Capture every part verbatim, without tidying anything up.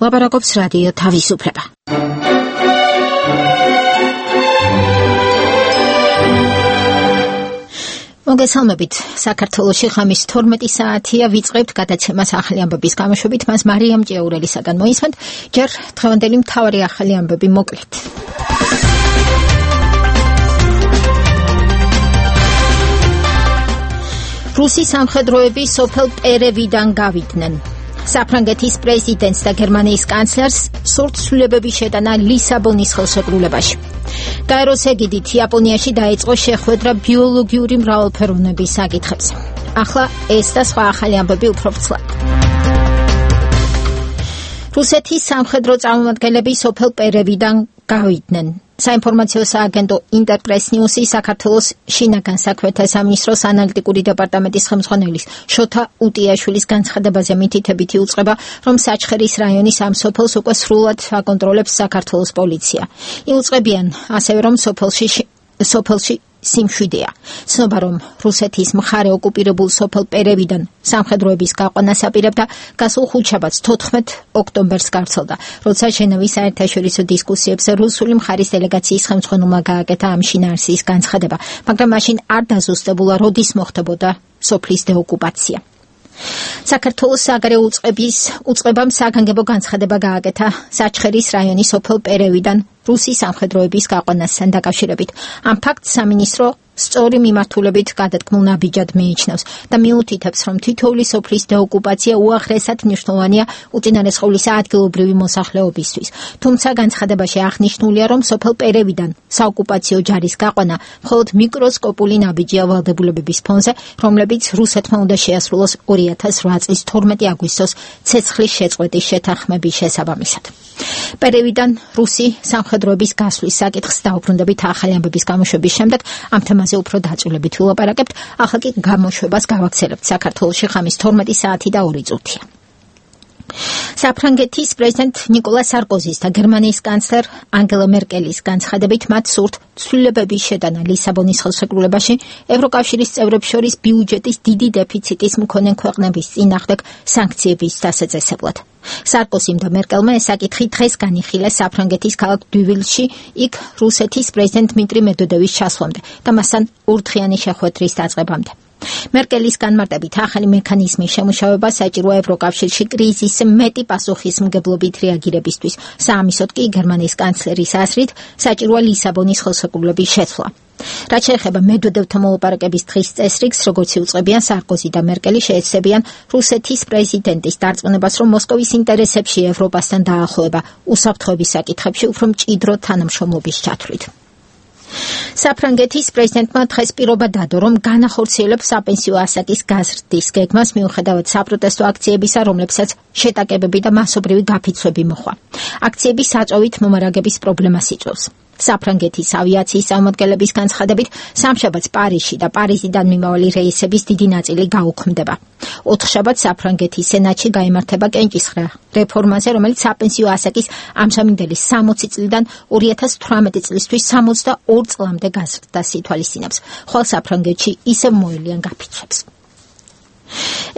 ლაპარაკობს რადიო თავისუფლება. მოგესალმებით, საქართველოში ხამის თორმეტი საათია, ვიწყებთ გადაცემას ახალი ამბების გამოშვებით, მას მარიამ ჭიაურელისაგან მოისმენთ, ჯერ დღევანდელი მთავარი ახალი ამბები მოკლედ. რუსი სამხედროები სოფელ პერევიდან გავიდნენ. საფრანგეთის პრეზიდენტს და გერმანიის კანცლერს სურთ ცვლილებების შეტანა ლისაბონის ხელშეკრულებაში. გაეროს ეგიდით იაპონიაში დაიწყო შეხვედრა ბიოლოგიური მრავალფეროვნების საკითხებზე. ახლა ეს და სხვა ახალი ამბები უფრო ვრცლად. რუსეთის სამხედრო წარმომადგენლები სოფელ პერევიდან გავიდნენ. საინფორმაციო სააგენტო ინტერპრეს ნიუსი საქართველოს შინაგან საქმეთა სამინისტროს ანალიტიკური დეპარტამენტის ხელმძღვანელის შოთა უტიაშვილის განცხადებაზე მითითებით იუწყება, რომ საჩხერის რაიონის ამ სოფელს უკვე სრულად აკონტროლებს საქართველოს პოლიცია. იუწყებიან ასევე, რომ სოფელში სოფელში სიმშვიდეა. ცნობა, რომ რუსეთის მხარე ოკუპირებულ სოფელ პერევიდან სამხედროების გაყვანას აპირებდა, გასულ ხუთშაბათს თოთხმეტ ოქტომბერს გავრცელდა, როცა ჟენევის საერთაშორისო დისკუსიებზე რუსული მხარის დელეგაციის ხელმძღვანელმა გააკეთა ამ შინაარსის განცხადება, მაგრამ მაშინ არ დაზუსტებულა, როდის მოხდებოდა სოფლის დეოკუპაცია. საქართველოს საგარეო უწყების უწყებამ საგანგებო განცხადება გააკეთა საჩხერის რაიონის სოფელ პერევიდან რუსი სამხედროების გაყვანასთან დაკავშირებით. ამ ფაქტს სამინისტრო სწორი მიმართულებით გადადგმულ ნაბიჯად მიიჩნევს და მიუთითებს, რომ თითოეული სოფლის დეოკუპაცია უაღრესად მნიშვნელოვანია უწინარესყოვლისა ადგილობრივი მოსახლეობისთვის. თუმცა განცხადებაში აღნიშნულია, რომ სოფელ პერევიდან საოკუპაციო ჯარის გაყვანა მხოლოდ მიკროსკოპული ნაბიჯია ვალდებულებების ფონზე, რომლებიც რუსეთმა უნდა შეასრულოს ორი ათას რვა წლის თორმეტი აგვისტოს ცეცხლის შეწყვეტის შეთანხმების შესაბამისად. პერევიდან რუსი სამხედროების გასვლის საკითხს დაუბრუნდებით ახალი ამბების გამოშვების შემდეგ, ამ თემაზე უფრო დაწვრილებით ვილაპარაკებთ, ახლა კი გამოშვებას გავაგრძელებთ. საქართველოში ხამის თორმეტი საათი და ორი წუთია. საფრანგეთის პრეზიდენტ ნიკოლა სარკოზის და გერმანიის კანცლერ ანგელა მერკელის განცხადებით მათ სურთ ცვლილებების შეტანა ლისაბონის ხელშეკრულებაში ევროკავშირის წევრებს შორის ბიუჯეტის დიდი დეფიციტის მქონე ქვეყნების წინააღმდეგ სანქციების დასაწყისებლად. სარკოზიმ და მერკელმა ეს საკითხი დღეს განიხილეს საფრანგეთის ქალაქ დუვილში, იქ რუსეთის პრეზიდენტ დმიტრი მედვედევის ჩასვლამდე და მასთან ორდღიანი შეხვედრის დაწყებამდე. მერკელის განმარტებით ახალი მექანიზმის შემუშავება საჭიროა ევროკავშირში კრიზისს მეტი პასუხისმგებლობით რეაგირებისთვის. საამისოდ კი გერმანიის კანცლერის აზრით საჭიროა ლისაბონის ხელშეკრულების შეცვლა. რაც შეეხება მედვედევთან მოლაპარაკების დღის წესრიგს, როგორც იუწყებიან სარკოზი და მერკელი შეეცდებიან რუსეთის პრეზიდენტის დარწმუნებას, რომ მოსკოვის ინტერესებში ევროპასთან დაახლოება უსაფრთხოების საკითხებში უფრო მჭიდრო თანამშრომლობის ჩათვლით. საფრანგეთის პრეზიდენტმა დღეს პირობა დადო, რომ განახორციელებს საპენსიო ასაკის გაზრდის გეგმას მიუხედავად საპროტესტო აქციებისა, რომლებსაც შეტაკებები და მასობრივი გაფიცვები მოჰყვა. აქციების საწვევით მომარაგების პრობლემას იწვევს. საფრანგეთის ავიაციის წარმომადგენლების განცხადებით, სამშაბათს პარიზში და პარიზიდან მიმავალი რეისების დიდი ნაწილი გაუქმდება. ოთხშაბათს საფრანგეთის სენატში გაიმართება კენჭისყრა რეფორმაზე, რომელიც საპენსიო ასაკის ამჟამინდელი სამოცი წლიდან ორი ათას თვრამეტი წლისთვის სამოცდა ორ წლამდე გაზრდას ითვალისწინებს, ხოლო საფრანგეთში ისევ მოელიან გაფიცვებს.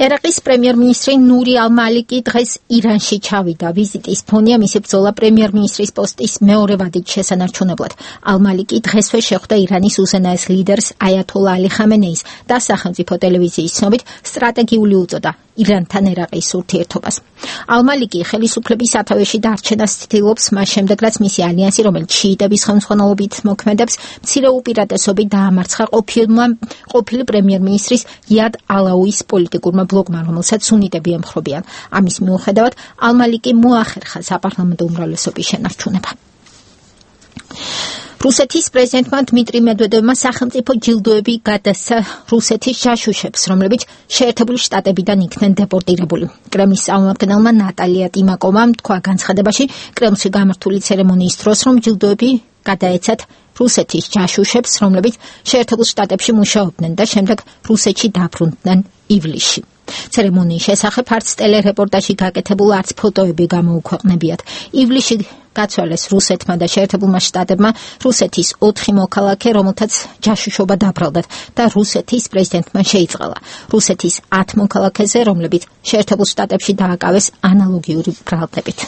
ერაყის პრემიერ-მინისტრი ნური ალ-მალიკი დღეს ირანში ჩავიდა. ვიზიტის ფონია მისი ბრძოლა პრემიერ-მინისტრის პოსტის მეორე ვადით შესანარჩუნებლად. ალ-მალიკი დღესვე შეხვდა ირანის უზენაეს ლიდერს აიათოლა ალი ხამენეის და სახელმწიფო ტელევიზიის ცნობით სტრატეგიული უწოდა ირანთან ერაყის ურთიერთობას. ალ-მალიკი ხელისუფლების სათავეში დარჩენას ცდილობს მას შემდეგ, რაც მისი ალიანსი, რომელიც შიიტების ხელმძღვანელობით მოქმედებს, მცირე უპირატესობით დაამარცხა ყოფილმა ყოფილი პრემიერ-მინისტრის იად ალაუის პოლიტიკურმა ბლოკმა, რომელსაც სუნიტები ემხრობიან. ამის მიუხედავად, ალ-მალიკი მოახერხა საპარლამენტო უმრავლესობის შენარჩუნება. რუსეთის პრეზიდენტმა დმიტრი მედვედევმა სახელმწიფო ჯილდოები გადასცა რუსეთის ჯაშუშებს, რომლებიც შეერთებული შტატებიდან იქნენ დეპორტირებული. კრემლის წარმომადგენელმა ნატალია ტიმაკოვამ თქვა განცხადებაში კრემლში გამართული ცერემონიის დროს, რომ ჯილდოები გადაეცათ რუსეთის ჯაშუშებს, რომლებიც შეერთებულ შტატებში მუშაობდნენ და შემდეგ რუსეთში დაბრუნდნენ ივლისში. ცერემონიის შესახებ არც ტელერეპორტაჟი გაკეთებულ, არც ფოტოები გამოუქვეყნებიათ. ივლისში გაცვალეს რუსეთმა და შეერთებულმა შტატებმა რუსეთის ოთხი მოქალაქე, რომელთაც ჯაშუშობა დაბრალდათ და რუსეთის პრეზიდენტმა შეიწყალა. რუსეთის ათ მოქალაქეზე, რომლებიც შეერთებულ შტატებში დააკავეს ანალოგიური ბრალდებით.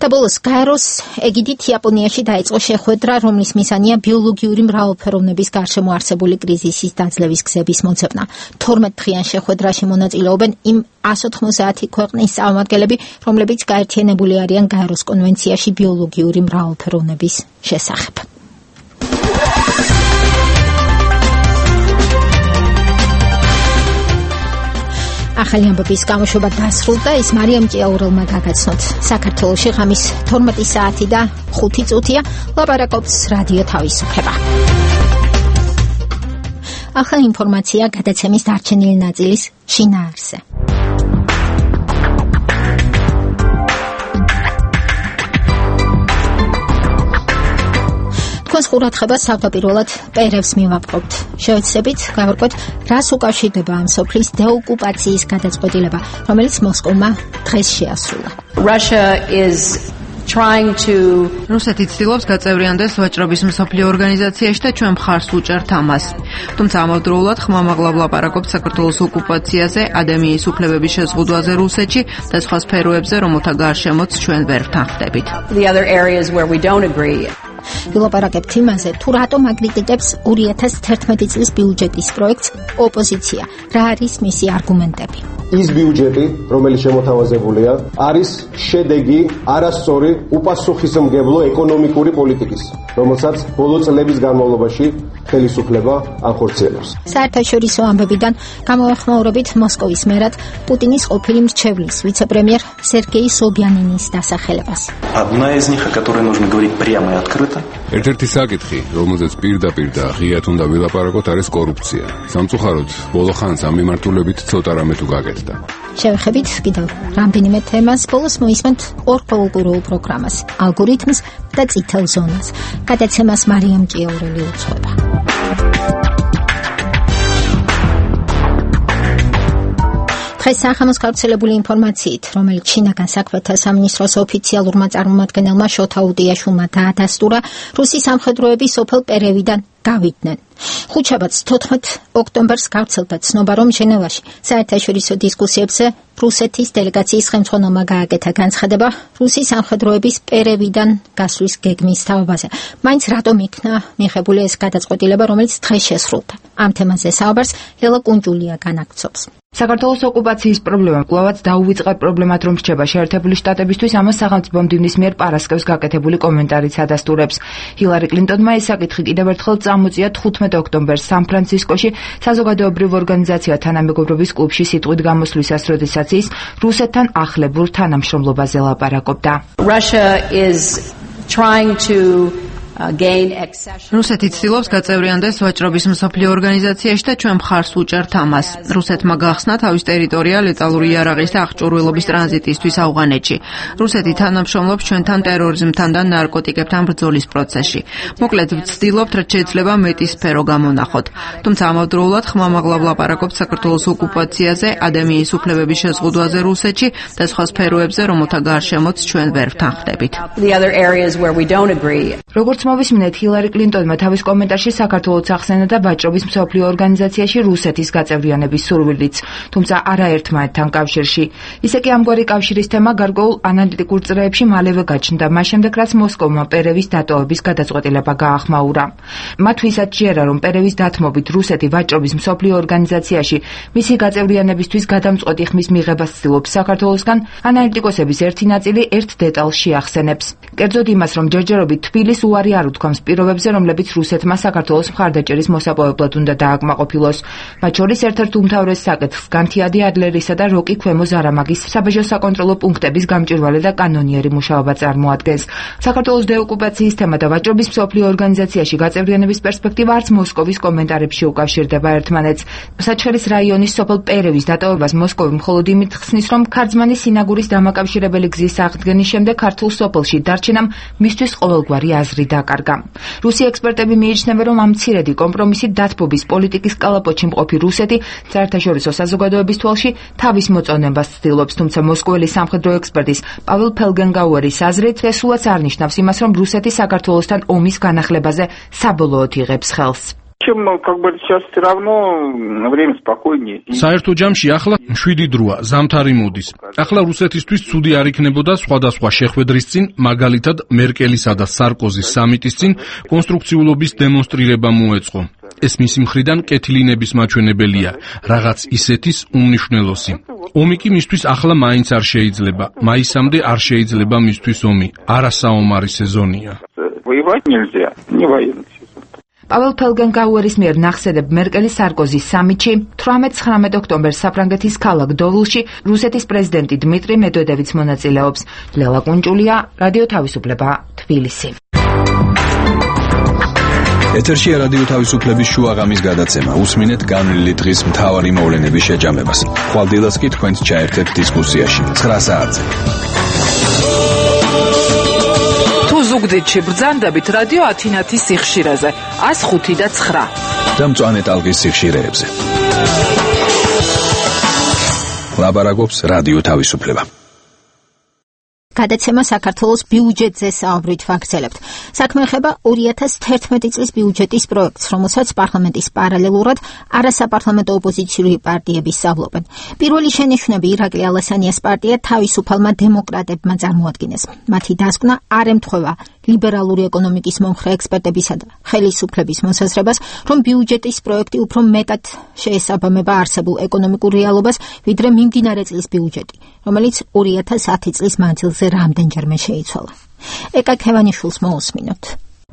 და ბოლოს გაეროს ეგიდით იაპონიაში დაიწყო შეხვედრა, რომლის მიზანია ბიოლოგიური მრავალფეროვნების გარშემო არსებული კრიზისის დაძლევის გზების მოძებნა. თორმეტ დღიან შეხვედრაში მონაწილეობენ იმ εκατს ოთხმოცდაათი ქვეყნის წარმომადგენლები, რომლებიც გაერთიანებული არიან გაეროს კონვენციაში ბიოლოგიური მრავალფეროვნების შესახებ. ახალი ამბების გამოშვება დასრულდა, ის მარიამ ჭიაურელმა გაგაცნოთ. საქართველოში ღამის თორმეტი საათი და ხუთი წუთია, ლაპარაკობს რადიო თავისუფლება. ახალი ინფორმაცია გადაცემის დარჩენილი ნაწილის შინაარსზე. თქვენს ყურადღებას თავდაპირველად პერევს მივაპყრობთ. შევეცდებით გავარკვევთ, რას უკავშირდება ამ სოფლის დეოკუპაციის გადაწყვეტილება, რომელიც მოსკოვმა დღეს შეასრულა. Russia is trying to რუსეთი ცდილობს გაწევრიანდეს ვაჭრობის მსოფლიო ორგანიზაციაში და ჩვენ მხარს უჭერთ ამას. თუმცა ამავდროულად ხმამაღლად ლაპარაკობს საქართველოს ოკუპაციაზე, ადამიანის უფლებების შეზღუდვაზე რუსეთში და სხვა სფეროებზე, რომელთა გარშემოც ჩვენ ვერ ვთანხმდებით. the other areas where we don't agree. ვილაპარაკებთ იმაზე, თუ რატომ აკრიტიკებს ორი ათას თერთმეტი წლის ბიუჯეტის პროექტს ოპოზიცია, რა არის მისი არგუმენტები. ის ბიუჯეტი, რომელიც შემოთავაზებულია, არის შედეგი არასწორი უპასუხისმგებლო ეკონომიკური პოლიტიკის, რომელსაც ბოლო წლების განმავლობაში ხელისუფლება ახორციელებს. საერთაშორისო ამბებიდან გამოეხმაურებით მოსკოვის მერად პუტინის ყოფილი მრჩევლის ვიცე-პრემიერ სერგეი სობიანინის დასახელებას. Одна из них, о которой нужно говорить прямо и открыто. ერთ-ერთი საკითხი, რომელზეც პირდაპირ და ღიად უნდა ვილაპარაკოთ, არის კორუფცია. სამწუხაროდ, ბოლო ხანს ამ მიმართულებით ცოტა რამე თუ გაკეთდა. შევეხებით კიდევ რამდენიმე თემას, ბოლოს მოისმენთ ორ კულტურულ პროგრამას, ალგორითმს და წითელ ზონას. გადაცემას მარიამ ჭიაურელი უძღვება. დღეს სახამოს გავრცელებული ინფორმაციით, რომელიც ჩინაგან საქმეთა სამინისტროს ოფიციალურმა წარმომადგენელმა შოთა უდიაშვილმა დაადასტურა, რუსის სამხედროები სოფელ პერევიდან გავიდნენ. ხუთშაბათს თოთხმეტ ოქტომბერს გავრცელდა ცნობა, რომ ჟენევაში საერთაშორისო დისკუსიებზე რუსეთის დელეგაციის ხელმძღვანელმა გააკეთა განცხადება რუსის სამხედროების პერევიდან გასვლის გეგმის თაობაზე. მაინც რატომ იქნა მიღებული ეს გადაწყვეტილება, რომელიც დღეს შესრულდა? ამ თემაზე საუბარს ელო კუნჯულია განაგრძობს. საქართველოს ოკუპაციის პრობლემა კვლავაც დაუვიწყარ პრობლემად რომ რჩება შეერთებული შტატებისთვის, ამას სახელმწიფო მდივნის მიერ პარასკევს გაკეთებული კომენტარიც ადასტურებს. ჰილარი კლინტონმა ეს საკითხი კიდევ ერთხელ წამოწია თხუთმეტ ოქტომბერს სან-ფრანცისკოში საზოგადოებრივ ორგანიზაცია თანამეგობრობის კლუბში სიტყვით გამოსვლისას, როდესაც ის რუსეთთან ახლებურ თანამშრომლობაზე ლაპარაკობდა. Russia is trying to რუსეთი ცდილობს გაწევრიანდეს ვაჭრობის მსოფლიო ორგანიზაციაში და ჩვენ მხარს უჭერთ ამას. რუსეთმა გახსნა თავის ტერიტორია ლეტალური იარაღის და აღჭურვილობის ტრანზიტისთვის ავღანეთში. რუსეთი თანამშრომლობს ჩვენთან ტერორიზმთან და ნარკოტიკებთან ბრძოლის პროცესში. მოკლედ, ვცდილობთ, რაც შეიძლება მეტი სფერო გამონახოთ. თუმცა ამავდროულად ხმამაღლად ლაპარაკობს საქართველოს ოკუპაციაზე, ადამიანის უფლებების შეზღუდვაზე რუსეთში და სხვა სფეროებზე, რომელთა გარშემოც ჩვენ ვერ ვთანხმდებით. the other areas where we don't agree. როგორც მოვისმინეთ, ჰილარი კლინტონმა თავის კომენტარში საქართველოს ახსენა და ვაჭრობის მსოფლიო ორგანიზაციაში რუსეთის გაწევრიანების სურვილიც, თუმცა არაერთმანეთთან კავშირში. ისე კი ამგვარი კავშირის თემა გარკვეულ ანალიტიკურ წრეებში მალევე გაჩნდა, მას შემდეგ რაც მოსკოვმა პერევის დატოვების გადაწყვეტილება გაახმაურა. მათ ვისაც ჯერა, რომ პერევის დათმობით რუსეთი ვაჭრობის მსოფლიო ორგანიზაციაში მისი გაწევრიანებისთვის გადამწყვეტი ხმის მიღებას ცდილობს საქართველოსგან, ანალიტიკოსების ერთი ნაწილი ერთ დეტალს შეახსენებს. კერძოდ იმას, რომ ჯერჯერობით თბილის უარი არ უთქვამს პირობებზე, რომლებიც რუსეთმა საქართველოს მხარდაჭერის მოსაპოვებლად უნდა დააკმაყოფილოს. მათ შორის ერთ-ერთ უმთავრეს საკითხს განთიადი ადლერისა და როკი ქვემო ზარამაგის საბაჟო საკონტროლო პუნქტების გამჭვირვალე და კანონიერი მუშაობა წარმოადგენს. საქართველოს დეოკუპაციის თემა და ვაჭრობის მსოფლიო ორგანიზაციაში გაწევრიანების პერსპექტივა არც მოსკოვის კომენტარებში უკავშირდება ერთმანეთს. საჩხერის რაიონის სოფელ პერევის დატოვებას მოსკოვი მხოლოდ იმით ხსნის, რომ ქარწმანის სინაგურის დამაკავშირებელი გზის აღდგენის შემდეგ ქართულ სოფელში დარჩენამ მისთვის ყოველგვარი აზრი დაკარგა. რუსი ექსპერტები მიიჩნევენ, რომ ამ მცირედი კომპრომისით დათბობის პოლიტიკის კალაპოტში მყოფი რუსეთი საერთაშორისო საზოგადოების თვალში თავის მოწონებას ცდილობს, თუმცა მოსკოველი სამხედრო ექსპერტის პაվել ფელგენგაუერის აზრით, ეს სულაც არ ნიშნავს იმას, რომ რუსეთი საქართველოსთან ომის განახლებაზე საბოლოოდ იღებს ხელს. Чем как бы сейчас все равно время спокойнее. საერთო ჯამში ახლა შვიდი დროა, ზამთარი მოდის. ახლა რუსეთისთვის ცუდი არ იქნებოდა სხვადასხვა შეხვედრის წინ, მაგალითად მერკელისა და სარკოზის სამიტის წინ კონსტრუქციულობის დემონსტრირება მოეწყო. ეს მისი მხრიდან კეთილინების მაჩვენებელია, რაღაც ისეთის უმნიშვნელოსი. ომი კი მისთვის ახლა მაინც არ შეიძლება. მაისამდე არ შეიძლება მისთვის ომი. არასაომარი სეზონია. Воевать нельзя, не военный. პაվել ფელგენგაუერის მიერ ნახსენებ მერკელის სარკოზის სამიტში თვრამეტ-ცხრამეტ ოქტომბერს საფრანგეთის ქალაქ დოვლში რუსეთის პრეზიდენტი დმიტრი მედვედევიც მონაწილეობს. ლელა კუნჭულია, რადიო თავისუფლება, თბილისი. ეთერშია რადიო თავისუფლების შუაღამის გადაცემა. უსმინეთ განვლილი დღის მთავარი მოვლენების შეჯამებას. ხვალდილას კი თქვენს ჩაერთეთ დისკუსიაში. ცხრა საათზე. ზუგდიდში ბრძანდებით რადიო ათინათის სიხშირეზე ას ხუთი და ცხრა და მწვანე ტალღის სიხშირეებზე. ლაბარაკობს რადიო თავისუფლება. გადაცემა საქართველოს ბიუჯეტზე საუბრით ვაგრძელებთ. საქმე ეხება ორი ათას თერთმეტი წლის ბიუჯეტის პროექტს, რომელსაც პარლამენტის პარალელურად არასაპარლამენტო ოპოზიციური პარტიები სწავლობენ. პირველი შენიშვნები ირაკლი ალასანიას პარტია თავისუფალმა დემოკრატებმა წარმოადგინეს. მათი დასკვნა არ ემთხვევა ლიბერალური ეკონომიკის მომხრე ექსპერტებისა და ხელისუფლების მოსაზრებას, რომ ბიუჯეტის პროექტი უფრო მეტად შეესაბამება არსებულ ეკონომიკურ რეალობას, ვიდრე მიმდინარე წლის ბიუჯეტი, რომელიც ორი ათას ათი წლის მანძილზე რამდენჯერმე შეიცვალა. ეკა ქევანიშვილს მოусმინოთ.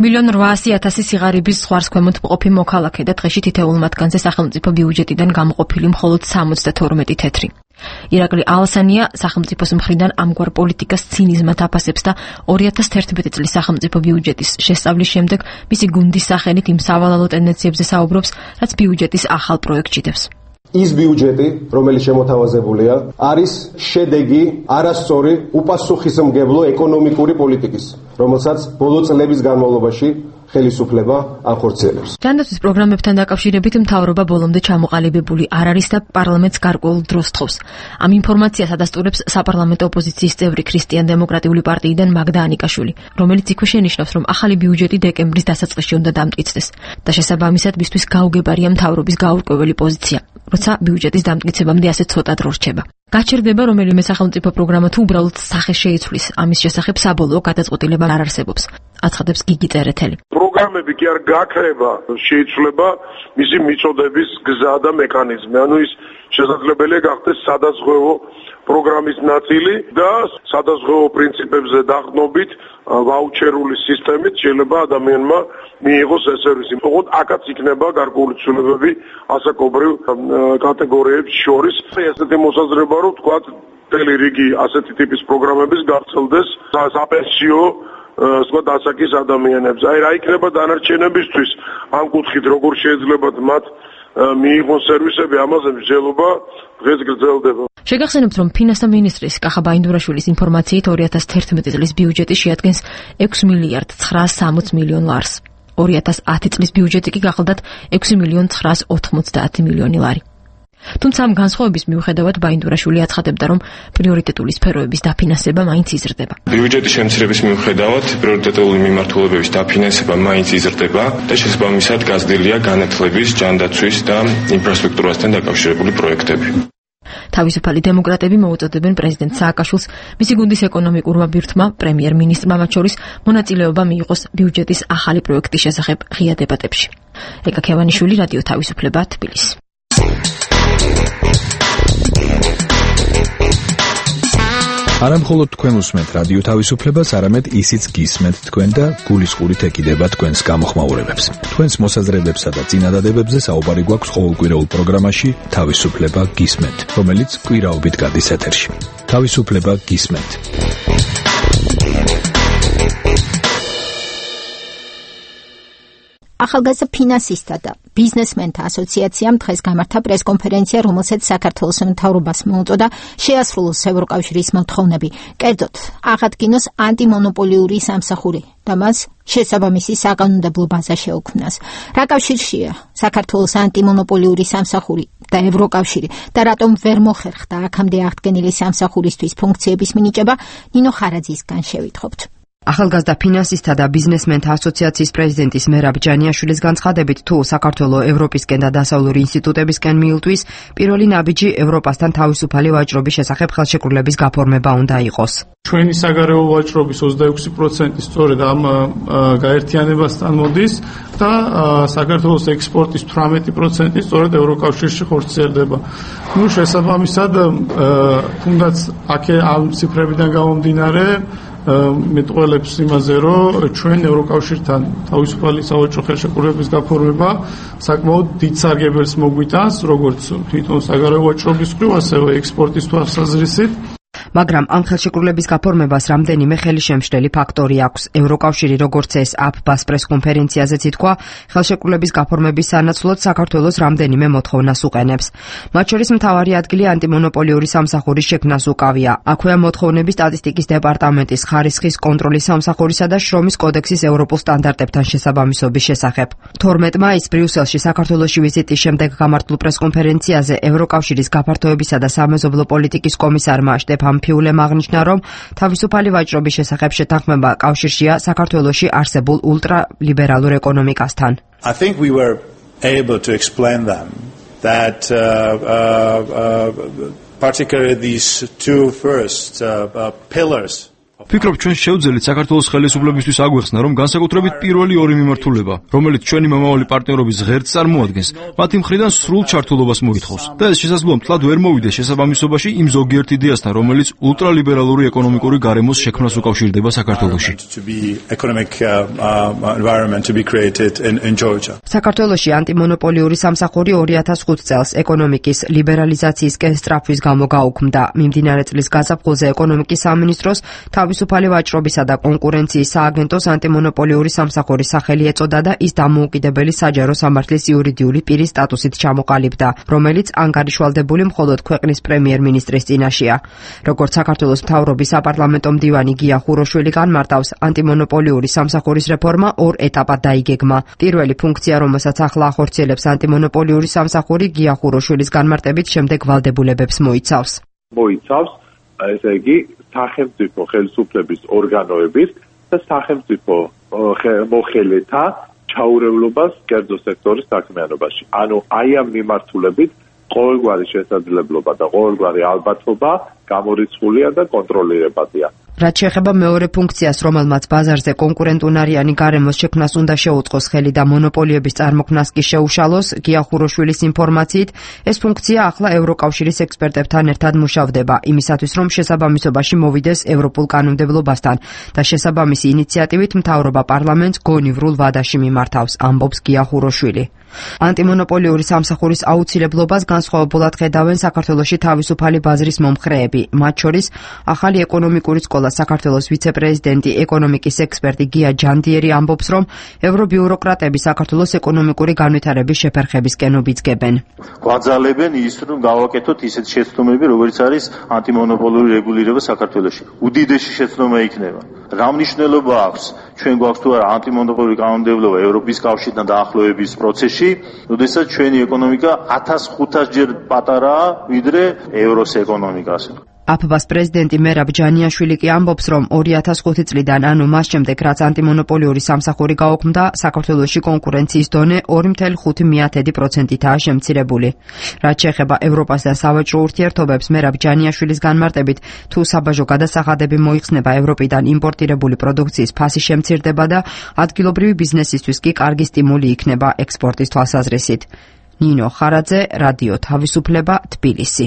მილიონ რვაასი ათასი სიღარიბის ზღვარს ქვემოთ მყოფი მოქალაქე და დღეში თითოეულ მათგანზე სახელმწიფო ბიუჯეტიდან გამოყოფილი მხოლოდ სამოცდათორმეტი თეთრი. ირაკლი ალასანია სახელმწიფოს მხრიდან ამგვარ პოლიტიკას ცინიზმად აფასებს და ორი ათას თერთმეტი წლის სახელმწიფო ბიუჯეტის შესწავლის შემდეგ მისი გუნდის სახელით იმ სავალალო ტენდენციებზე საუბრობს, რაც ბიუჯეტის ახალ პროექტს ჭიდებს. ის ბიუჯეტი, რომელიც შემოთავაზებულია, არის შედეგი არასწორი უპასუხისმგებლო ეკონომიკური პოლიტიკის, რომელსაც ბოლო წლების განმავლობაში ხელისუფლება ახორციელებს. ჯანდაცვის პროგრამებთან დაკავშირებით მთავრობა ბოლომდე ჩამოყალიბებული არ არის და პარლამენტს გარკვეულ დროს თხოვს. ამ ინფორმაციას ადასტურებს საპარლამენტო ოპოზიციის წევრი ქრისტიან-დემოკრატიული პარტიიდან მაგდა ანიკაშვილი, რომელიც იქვე შენიშნავს, რომ ახალი ბიუჯეტი დეკემბრის დასაწყისში უნდა დამტკიცდეს და შესაბამისად მისთვის გაუგებარია მთავრობის გაურკვეველი პოზიცია, როცა ბიუჯეტის დამტკიცებამდე ასე ცოტა დრო რჩება. გაჩერდება რომელიმე სახელმწიფო პროგრამა თუ უბრალოდ სახე შეიცვლის, ამის შესახებ საბოლოო გადაწყვეტილება არ არსებობს. აცხადებს გიგი წერეთელი. პროგრამები კი არ გაქრება, შეიცვლება მისი მიწოდების გზა და მექანიზმი. ანუ ის შესაძლებელია გახდეს სადაზღვევო პროგრამის ნაწილი და სადაზღვევო პრინციპებზე დაყრდნობით ვაუჩერული სისტემით შეიძლება ადამიანმა მიიღოს ეს სერვისი. ოღონდ აქაც იქნება გარკვეული ცვლილებები ასაკობრივ კატეგორიებს შორის. ესეთი მოსაზრება რომ თქვა მთელი რიგი ასეთი ტიპის პროგრამების გაგრძელდეს საპენსიო სხვა დასაკის ადამიანებს. აი რა იქნება დანარჩენებისთვის ამ კუთხით როგორ შეიძლება მათ მიიღონ სერვისები, ამაზე მსჯელობა დღეს გრძელდება. შეგახსენებთ, რომ ფინანსთა მინისტრის კახა ბაინდურაშვილის ინფორმაციით ორი ათას თერთმეტი წლის ბიუჯეტი შეადგენს ექვსი მილიარდ ცხრაას სამოც მილიონ ლარს. ორი ათას ათი წლის ბიუჯეტი კი გახლდათ ექვსი მილიონ ცხრაას ოთხმოცდაათი მილიონი ლარი. თუმცა ამ განსხვავების მიუხედავად ბაინდურაშვილი აცხადებდა, რომ პრიორიტეტული სფეროების დაფინანსება მაინც იზრდება. ბიუჯეტის შემცირების მიუხედავად პრიორიტეტული მიმართულებების დაფინანსება მაინც იზრდება და შესაბამისად გაზრდილია განათლების, ჯანდაცვის და ინფრასტრუქტურასთან დაკავშირებული პროექტები. თავისუფალი დემოკრატები მოუწოდებენ პრეზიდენტ სააკაშვილს მისი გუნდის ეკონომიკურმა ბირთმა, პრემიერ-მინისტრმა მათ შორის მონაწილეობა მიიღოს ბიუჯეტის ახალი პროექტის შესახებ ღია დებატებში. ეკა ქევანიშვილი, რადიო თავისუფლება, თბილისი. არა მხოლოდ თქვენ უსმენთ რადიო თავისუფლებას, არამედ ისიც გისმენთ თქვენ და გულისყურით ეკიდება თქვენს გამოხმაურებებს. თქვენს მოსაზრებებსა და წინადადებებზე საუბარი გვაქვს ყოველკვირეულ პროგრამაში თავისუფლება გისმენთ, რომელიც კვირაობით გადის ეთერში. თავისუფლება გისმენთ. ახალგაზრდა ფინანსისტთა და ბიზნესმენთა ასოციაციამ დღეს გამართა პრესკონფერენცია, რომელსაც საქართველოს მთავრობას მოუწოდა შეასრულოს ევროკავშირის მოთხოვნები, კერძოდ აღადგინოს ანტიმონოპოლიური სამსახური და მას შესაბამისი საკანონმდებლო ბაზა შეუქმნას. რა კავშირშია საქართველოს ანტიმონოპოლიური სამსახური და ევროკავშირი და რატომ ვერ მოხერხდა აქამდე აღდგენილი სამსახურისთვის ფუნქციების მინიჭება, ნინო ხარაძისგან შევითხობთ. ახალგაზრდა ფინანსისტთა და ბიზნესმენთა ასოციაციის პრეზიდენტის მერაბ ჯანიაშვილის განცხადებით, თუ საქართველოს ევროპისკენ და დასავლური ინსტიტუტებისკენ მიილტვის, პირველი ნაბიჯი ევროპასთან თავისუფალი ვაჭრობის შესახებ ხელშეკრულების გაფორმება უნდა იყოს. ჩვენი საგარეო ვაჭრობის ოცდაექვსი პროცენტი სწორედ ამ გაერთიანებასთან მოდის და საქართველოს ექსპორტის თვრამეტი პროცენტი სწორედ ევროკავშირში ხორციელდება. ნუ შესაბამისად, თუნდაც აქ ამ ციფრებიდან გამომდინარე მეტყველებს იმაზე, რომ ჩვენ ევროკავშირთან თავისუფალი სავაჭრო ხელშეკრულების გაფორმება საკმაოდ დიდ სარგებელს მოგვიტანს, როგორც თვითონ საგარეო ვაჭრობის მხრივ, ასევე ექსპორტის თვალსაზრისით. მაგრამ ამ ხელშეკრულების გაფორმებას რამდენიმე ხელშემშლელი ფაქტორი აქვს. ევროკავშირი, როგორც ეს აფბას პრესკონფერენციაზეც ითქვა, ხელშეკრულების გაფორმების სანაცვლოდ საქართველოს რამდენიმე მოთხოვნას უყენებს. მათ შორის მთავარი ადგილი ანტიმონოპოლიური სამსახურის შექმნას უკავია. აქვეა მოთხოვნები სტატისტიკის დეპარტამენტის, ხარისხის კონტროლის სამსახურისა და შრომის კოდექსის ევროპულ სტანდარტებთან შესაბამისობის შესახებ. თორმეტ მაისს ბრიუსელში საქართველოში ვიზიტის შემდეგ გამართულ პრესკონფერენციაზე ევროკავშირის გაფართოებისა და სამეზობლო პოლიტიკის კომისარმა შტეფან ფიულემ აღნიშნა, რომ თავისუფალი ვაჭრობის შესახებ შეთანხმება კავშირშია საქართველოში არსებულ ულტრალიბერალურ ეკონომიკასთან. I think we were able to explain them that uh, uh, uh, particularly these two first uh, uh, pillars. ფიქრობ, ჩვენ შევძელით საქართველოს ხელისუფლებისთვის აგვეხსნა, რომ განსაკუთრებით პირველი ორი მიმართულება, რომელიც ჩვენი მომავალი პარტნიორობის ღერძს წარმოადგენს, მათი მხრიდან სრულ ჩართულობას მოითხოვს. და ეს შესაძლოა მთლად ვერ მოვიდეს შესაბამისობაში იმ ზოგიერთ იდეასთან, რომელიც ულტრალიბერალური ეკონომიკური გარემოს შექმნას უკავშირდება საქართველოში. საქართველოში ანტიმონოპოლიური სამსახური ორი ათას ხუთ წელს ეკონომიკის ლიბერალიზაციისკენ სწრაფვის გამო გაუქმდა. მიმდინარე წლის გაზაფხულზე ეკონომიკის სამინისტროს თავისუფალი ვაჭრობისა და კონკურენციის სააგენტოს ანტიმონოპოლიური სამსახურის სახელი ეწოდა და ის დამოუკიდებელი საჯარო სამართლის იურიდიული პირის სტატუსით ჩამოყალიბდა, რომელიც ანგარიშვალდებული მხოლოდ ქვეყნის პრემიერ-მინისტრის წინაშეა. როგორც საქართველოს მთავრობის საპარლამენტო მდივანი გია ხუროშვილი განმარტავს, ანტიმონოპოლიური სამსახურის რეფორმა ორ ეტაპად დაიგეგმა. პირველი ფუნქცია, რომელსაც ახლა ახორციელებს ანტიმონოპოლიური სამსახური, გია ხუროშვილის განმარტებით შემდეგ ვალდებულებებს მოიცავს. მოიცავს ესე იგი სახელმწიფო ხელისუფლების ორგანოების და სახელმწიფო მოხელეთა ჩაურევლობას კერძო სექტორის საქმიანობაში. ანუ აი ამ მიმართულებით ყოველგვარი შესაძლებლობა და ყოველგვარი ალბათობა გამორიცხულია და კონტროლირებადია. რაც შეეხება მეორე ფუნქციას, რომელმაც ბაზარზე კონკურენტუნარიანი გარემოს შექმნას უნდა შეუწყოს ხელი და მონოპოლიების წარმოქმნას კი შეუშალოს, გია ხუროშვილის ინფორმაციით, ეს ფუნქცია ახლა ევროკავშირის ექსპერტებთან ერთად მუშავდება, იმისათვის რომ შესაბამისობაში მოვიდეს ევროპულ კანონმდებლობასთან და შესაბამისი ინიციატივით მთავრობა პარლამენტს გონივრულ ვადაში მიმართავს, ამბობს გია ხუროშვილი. ანტიმონოპოლიური სამსახურის აუცილებლობას განსხვავებულად ხედავენ საქართველოში თავისუფალი ბაზრის მომხრეები, მათ შორის ახალი ეკონომიკური სკოლა საქართველოს ვიცე-პრეზიდენტი ეკონომიკის ექსპერტი გია ჯანდიერი ამბობს, რომ ევრობიუროკრატები საქართველოს ეკონომიკური განვითარების შეფერხებისკენ უბიძგებენ. გვაძალებენ ის, რომ გავაკეთოთ ისეთ შეცდომები, როგორც არის ანტიმონოპოლიური რეგულირება საქართველოში. უდიდესი შეცდომა იქნება. რა მნიშვნელობა აქვს ჩვენ გვაქვს თუ არა ანტიმონოპოლიური კანონმდებლობა ევროპის კავშირთან დაახლოების პროცესში, როდესაც ჩვენი ეკონომიკა ათას ხუთას ჯერ პატარაა ვიდრე ევროს ეკონომიკას. აფბას პრეზიდენტი მერაბ ჯანიაშვილი კი ამბობს, რომ ორი ათას ხუთი წლიდან, ანუ მას შემდეგ, რაც ანტიმონოპოლიური სამსახური გაუქმდა, საქართველოში კონკურენციის დონე ორი კoma ხუთი პროცენტითაა შემცირებული. რაც შეეხება ევროპას და სავაჭრო ურთიერთობებს, მერაბ ჯანიაშვილის განმარტებით, თუ საბაჟო გადასახადები მოიხსნება ევროპიდან იმპორტირებული პროდუქციის ფასი შემცირდება და ადგილობრივი ბიზნესისთვის კი კარგი სტიმული იქნება ექსპორტის თვალსაზრისით. ნინო ხარაძე, რადიო თავისუფლება, თბილისი.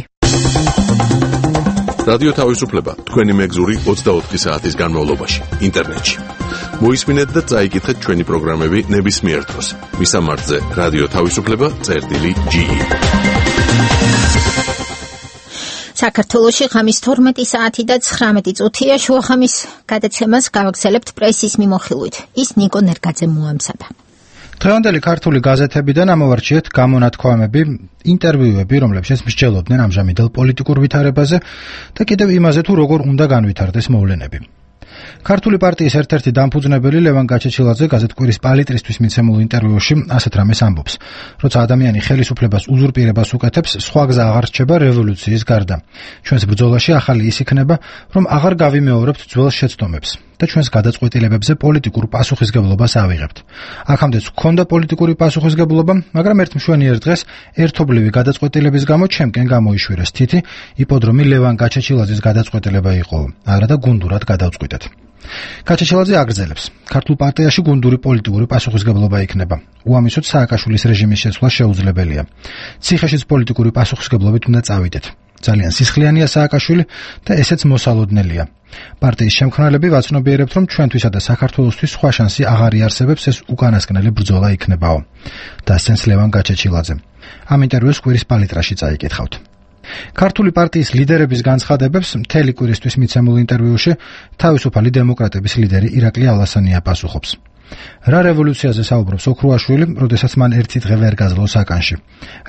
რადიო თავისუფლება, თქვენი მეგზური ოცდაოთხი საათის განმავლობაში, ინტერნეტში. მოისმინეთ და წაიკითხეთ ჩვენი პროგრამები ნებისმიერ დროს. მისამართზე რადიო თავისუფლება წერტილი ჯი. საქართველოში ღამის თორმეტი საათი და ცხრამეტი წუთია. შუახამის გადაცემას გავაგრძელებთ პრესის მიმოხილვით. ის ნიკო ნერგაძე მოამზადა. დღევანდელი ქართული გაზეთებიდან ამოვარჩიეთ გამონათქვამები, ინტერვიუები, რომლებშიც მსჯელობდნენ ამჟამინდელ პოლიტიკურ ვითარებაზე და კიდევ იმაზე, თუ როგორ უნდა განვითარდეს მოვლენები. ქართული პარტიის ერთ-ერთი დამფუძნებელი ლევან გაჩეჩილაძე გაზეთ კვირის პალიტრისთვის მიცემულ ინტერვიუში ასეთ რამეს ამბობს: როცა ადამიანი ხელისუფლებას უზურპირებას უკეთებს, სხვა გზა აღარ რჩება რევოლუციის გარდა. ჩვენს ბრძოლაში ახალი ის იქნება, რომ აღარ გავიმეორებთ ძველ შეცდომებს და ჩვენს გადაწყვეტილებებზე პოლიტიკურ პასუხისგებლობას ავიღებთ. აქამდეც გვქონდა პოლიტიკური პასუხისგებლობა, მაგრამ ერთ მშვენიერ დღეს ერთობლივი გადაწყვეტილების გამო ჩემკენ გამოიშვირეს თითი, იპოდრომი ლევან გაჩეჩილაძის გადაწყვეტილება იყო, არა და გუნდურად გადავწყვიტეთ. გაჩეჩილაძე აგრძელებს: ქართულ პარტიაში გუნდური პოლიტიკური პასუხისგებლობა იქნება. უამისოდ სააკაშვილის რეჟიმის შეცვლა შეუძლებელია. ციხეშიც პოლიტიკური პასუხისგებლობით უნდა წავიდეთ. ძალიან სისხლიანია სააკაშვილი და ესეც მოსალოდნელია. პარტიის შემქმნელები ვაცნობიერებთ, რომ ჩვენთვისა და საქართველოსთვის სხვა შანსი აღარ იარსებებს, ეს უკანასკნელი ბრძოლა იქნებაო. დასცენს ლევან გაჩეჩილაძე. ამ ინტერვიუს კვირის პალიტრაში წაიკითხავთ. ქართული პარტიის ლიდერების განცხადებებს მთელი კვირისთვის მიცემულ ინტერვიუში თავისუფალი დემოკრატების ლიდერი ირაკლი ალასანია პასუხობს. რა რევოლუციაზე საუბრობს ოქრუაშვილი, როდესაც მან ერთი დღე ვერ გაძლო საკანში.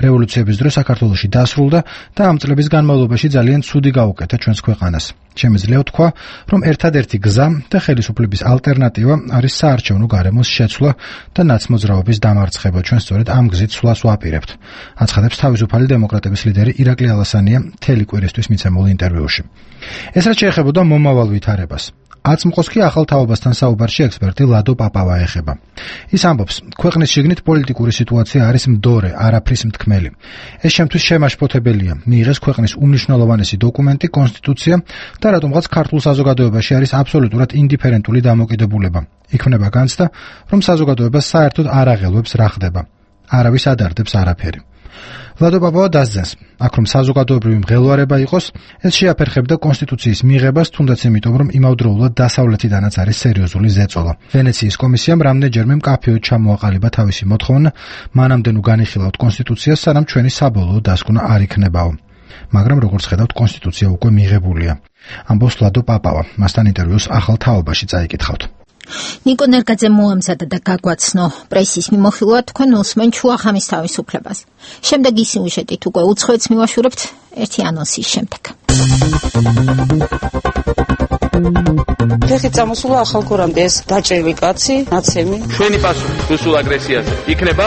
რევოლუციების დრო საქართველოში დასრულდა და ამ წლების განმავლობაში ძალიან ცუდი გაუკეთა ჩვენს ქვეყანას. შემიძლია ვთქვა, რომ ერთადერთი გზა და ხელისუფლების ალტერნატივა არის საარჩევნო გარემოს შეცვლა და ნაცმოძრაობის დამარცხება. ჩვენ სწორედ ამ გზით სვლას ვაპირებთ. აცხადებს თავისუფალი დემოკრატების ლიდერი ირაკლი ალასანია მთელი კვირისთვის მიცემულ ინტერვიუში. ეს რაც შეეხებოდა მომავალ ვითარებას. აწმყოს კი ახალ თაობასთან საუბარში ექსპერტი ლადო პაპავა ეხება. ის ამბობს, ქვეყნის შიგნით პოლიტიკური სიტუაცია არის მდორე, არაფრის მთქმელი. ეს შემთთვის შემაშფოთებელია. მიიღეს ქვეყნის უმნიშვნელოვანესი დოკუმენტი, კონსტიტუცია და რატომღაც ქართულ საზოგადოებაში არის აბსოლუტურად ინდიფერენტული დამოკიდებულება. იქმნება განცდა, რომ საზოგადოებას საერთოდ არ აღელვებს რა ხდება. არავის ადარდებს არაფერი. ლადო პაპავა დასძენს, აქ რომ საზოგადოებრივი მღელვარება იყოს, ეს შეაფერხებდა კონსტიტუციის მიღებას, თუნდაც იმიტომ, რომ იმავდროულად დასავლეთიდანაც არის სერიოზული ზეწოლა. ვენეციის კომისიამ რამდენჯერმე მკაფიოდ ჩამოაყალიბა თავისი მოთხოვნა, მანამდე ნუ განიხილავთ კონსტიტუციას, სანამ ჩვენი საბოლოო დასკვნა არ იქნებაო. მაგრამ როგორც ხედავთ, კონსტიტუცია უკვე მიღებულია. ამბობს ლადო პაპავა, მასთან ინტერვიუს ახალ თაობაში წაიკითხავთ. ნიკო ნერგაძე მოამზადა და გაგვაცნო პრესის მიმოხილვა თქვენ უსმენ ჩუახამის თავისუფლებას. შემდეგ ის სიუჟეტით უკვე უცხოეთს მივაშურებთ ერთი ანონსის შემდეგ. ფეხით წამოსულა ახალ გორამდე ეს დაჭერილი კაცი, ნაცემი. ჩვენი პასუხი რუსულ აგრესიაზე იქნება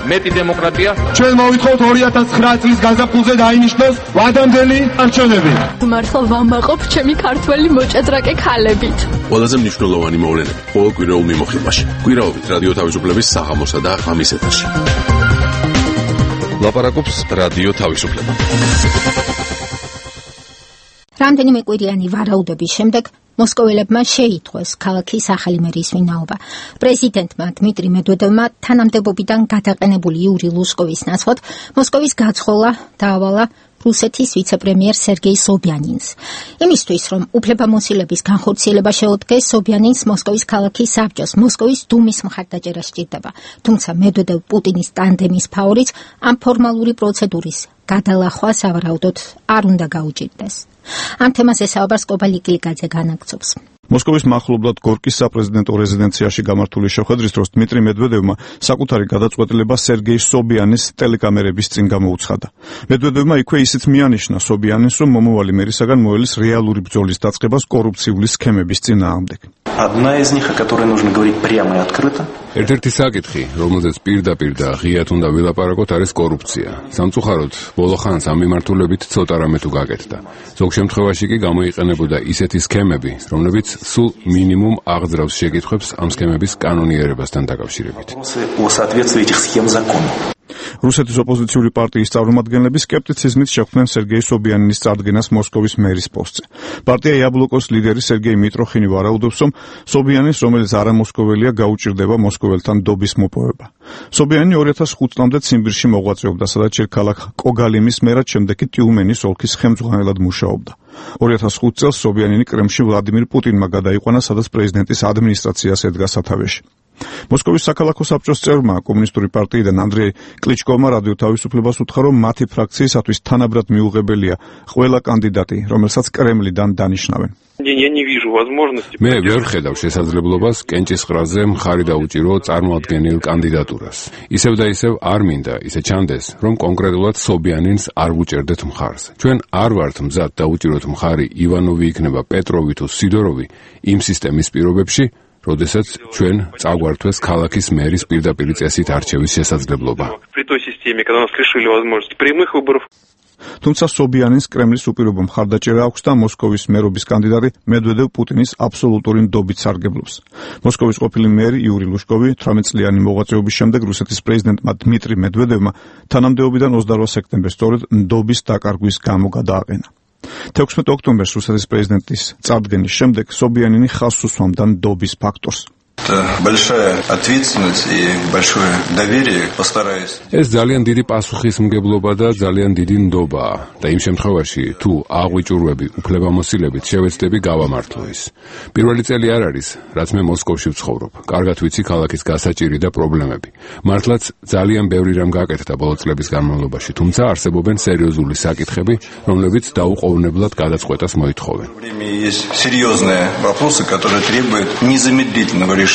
მეტი დემოკრატია. ჩვენ მოვითხოვთ ორი ათას ცხრა წლის გაზაფხულზე დაინიშნოს ვადამდელი არჩევნები. მართლა ვამაყობ ჩემი ქართველი მოჭადრაკე ქალებით. ყველაზე მნიშვნელოვანი მოვლენები ყოველ კვირაულ მიმოხილვაში. კვირაობით რადიო თავისუფლების საღამოსა და ღამის ეთერში. ლაპარაკობს რადიო თავისუფლება. რამდენიმე კვირიანი ვარაუდების შემდეგ მოსკოველებმა შეითხოვეს ქალაქის ახალი მერის ვინაობა. პრეზიდენტმა დმიტრი მედვედევმა თანამდებობიდან გადაყენებული იური ლუსკოვის ნაცვლად მოსკოვის გაცხოვა დაავალა რუსეთის ვიცე-პრემიერ სერგეი სობიანინს. იმისთვის, რომ უფლებამოსილების განხორციელება შეუდგეს, სობიანინს მოსკოვის ქალაქის საბჭოს, მოსკოვის დუმის მხარდაჭერა სჭირდება. თუმცა მედვედევ პუტინის ტანდემის ფაორიც ამ ფორმალური პროცედურის გადალახვა სავარაუდოდ არ უნდა გაუჭირდეს. ამ თემაზე საუბარს კობალი კილიკაძე განაგცობს. მოსკოვის მახლობლად გორკის საპრეზიდენტო რეზიდენციაში გამართული შეხვედრის დროს დმიტრი მედვედევმა საკუთარი გადაწყვეტილება სერგეი სობიანის ტელეკამერების წინ გამოუცხადა. მედვედევმა იქვე ისიც მიანიშნა სობიანინს, რომ მომავალი მერისაგან მოელის რეალური ბრძოლის დაწყებას კორუფციული სქემების წინააღმდეგ. Одна из них, о которой нужно говорить прямо и открыто. ერთ-ერთი საკითხი, რომელზეც პირდაპირ და ღიად უნდა ვილაპარაკოთ, არის კორუფცია. სამწუხაროდ, ბოლო ხანს ამ მიმართულებით ცოტა რამე თუ გაკეთდა. ზოგ შემთხვევაში კი გამოიყენებოდა ისეთი სქემები, რომლებიც სულ მინიმუმ აღძრავს შეკითხვებს ამ სქემების კანონიერებასთან დაკავშირებით. О соответствии этих схем закону. რუსეთის ოპოზიციური პარტიის წარმომადგენლები სკეპტიციზმით შეხვდნენ სერგეი სობიანინის წარდგენას მოსკოვის მერის პოსტზე. პარტია იაბლოკოს ლიდერი სერგეი მიტროხინი ვარაუდობს, რომ სობიანის, რომელიც არამოსკოველია, გაუჭირდება მოსკოველთან დობის მოპოვება. სობიანი ორი ათას ხუთ წლამდე ციმბირში მოღვაწეობდა, სადაც ჯერ ქალაქ კოგალიმის მერად, შემდეგ კი ტიუმენის ოლქის ხელმძღვანელად მუშაობდა. ორი ათას ხუთ წელს სობიანინი კრემლში ვლადიმირ პუტინმა გადაიყვანა, სადაც პრეზიდენტის ადმინისტრაციას ედგა სათავეში. მოსკოვის საქალაქო საბჭოს წევრმა კომუნისტური პარტიიდან ანდრეი კლიჩკოვმა რადიო თავისუფლებას უთხრა, რომ მათი ფრაქციისათვის თანაბრად მიუღებელია ყველა კანდიდატი, რომელსაც კრემლიდან დანიშნავენ. день я не вижу возможности. მე ვერ ხედავ შესაძლებლობას კენჭისყრაზე მხარი დაუჭირო წარმოადგენილ კანდიდატურას. ისევ და ისევ არ მინდა ისე ჩანდეს, რომ კონკრეტულად სობიანინს არ ვუჭერდეთ მხარს. ჩვენ არ ვართ მზად დაუჭიროთ მხარი ივანოვი იქნება პეტროვი თუ სიდოროვი იმ სისტემის პირობებში, როდესაც ჩვენ წაგვართვეს ქალაქის მერის პირდაპირ წესით არჩევის შესაძლებლობა. При той системе, когда нас лишили возможности прямых выборов. თუმცა სობიანინს კრემლის უპირობო მხარდაჭერა აქვს და მოსკოვის მერობის კანდიდატი მედვედევ პუტინის აბსოლუტური ნდობით სარგებლობს. მოსკოვის ყოფილი მერი იური ლუშკოვი თვრამეტ წლიანი მოღვაწეობის შემდეგ რუსეთის პრეზიდენტმა დმიტრი მედვედევმა თანამდებობიდან ოცდაორ სექტემბერს სწორედ ნდობის დაკარგვის გამო გადააყენა. თექვსმეტ ოქტომბერს რუსეთის პრეზიდენტის წარდგენის შემდეგ სობიანინი ხაზს უსვამდა ნდობის ფაქტორს. Это большая ответственность и большое доверие. Постараюсь. ეს ძალიან დიდი პასუხისმგებლობა და ძალიან დიდი ნდობაა და იმ შემთხვევაში თუ აღვიჭურვები უფლებამოსილებით შევეცდები გავამართლო ის. პირველი წელი არ არის, რაც მე მოსკოვში ვცხოვრობ. კარგად ვიცი ქალაქის გასაჭირი და პრობლემები. მართლაც ძალიან ბევრი რამ გაკეთდა ბოლო წლების განმავლობაში, თუმცა არსებობენ სერიოზული საკითხები, რომლებიც დაუყოვნებლად გადაწყვეტას მოითხოვენ. Есть серьезные вопросы, которые требуют незамедлительного решения.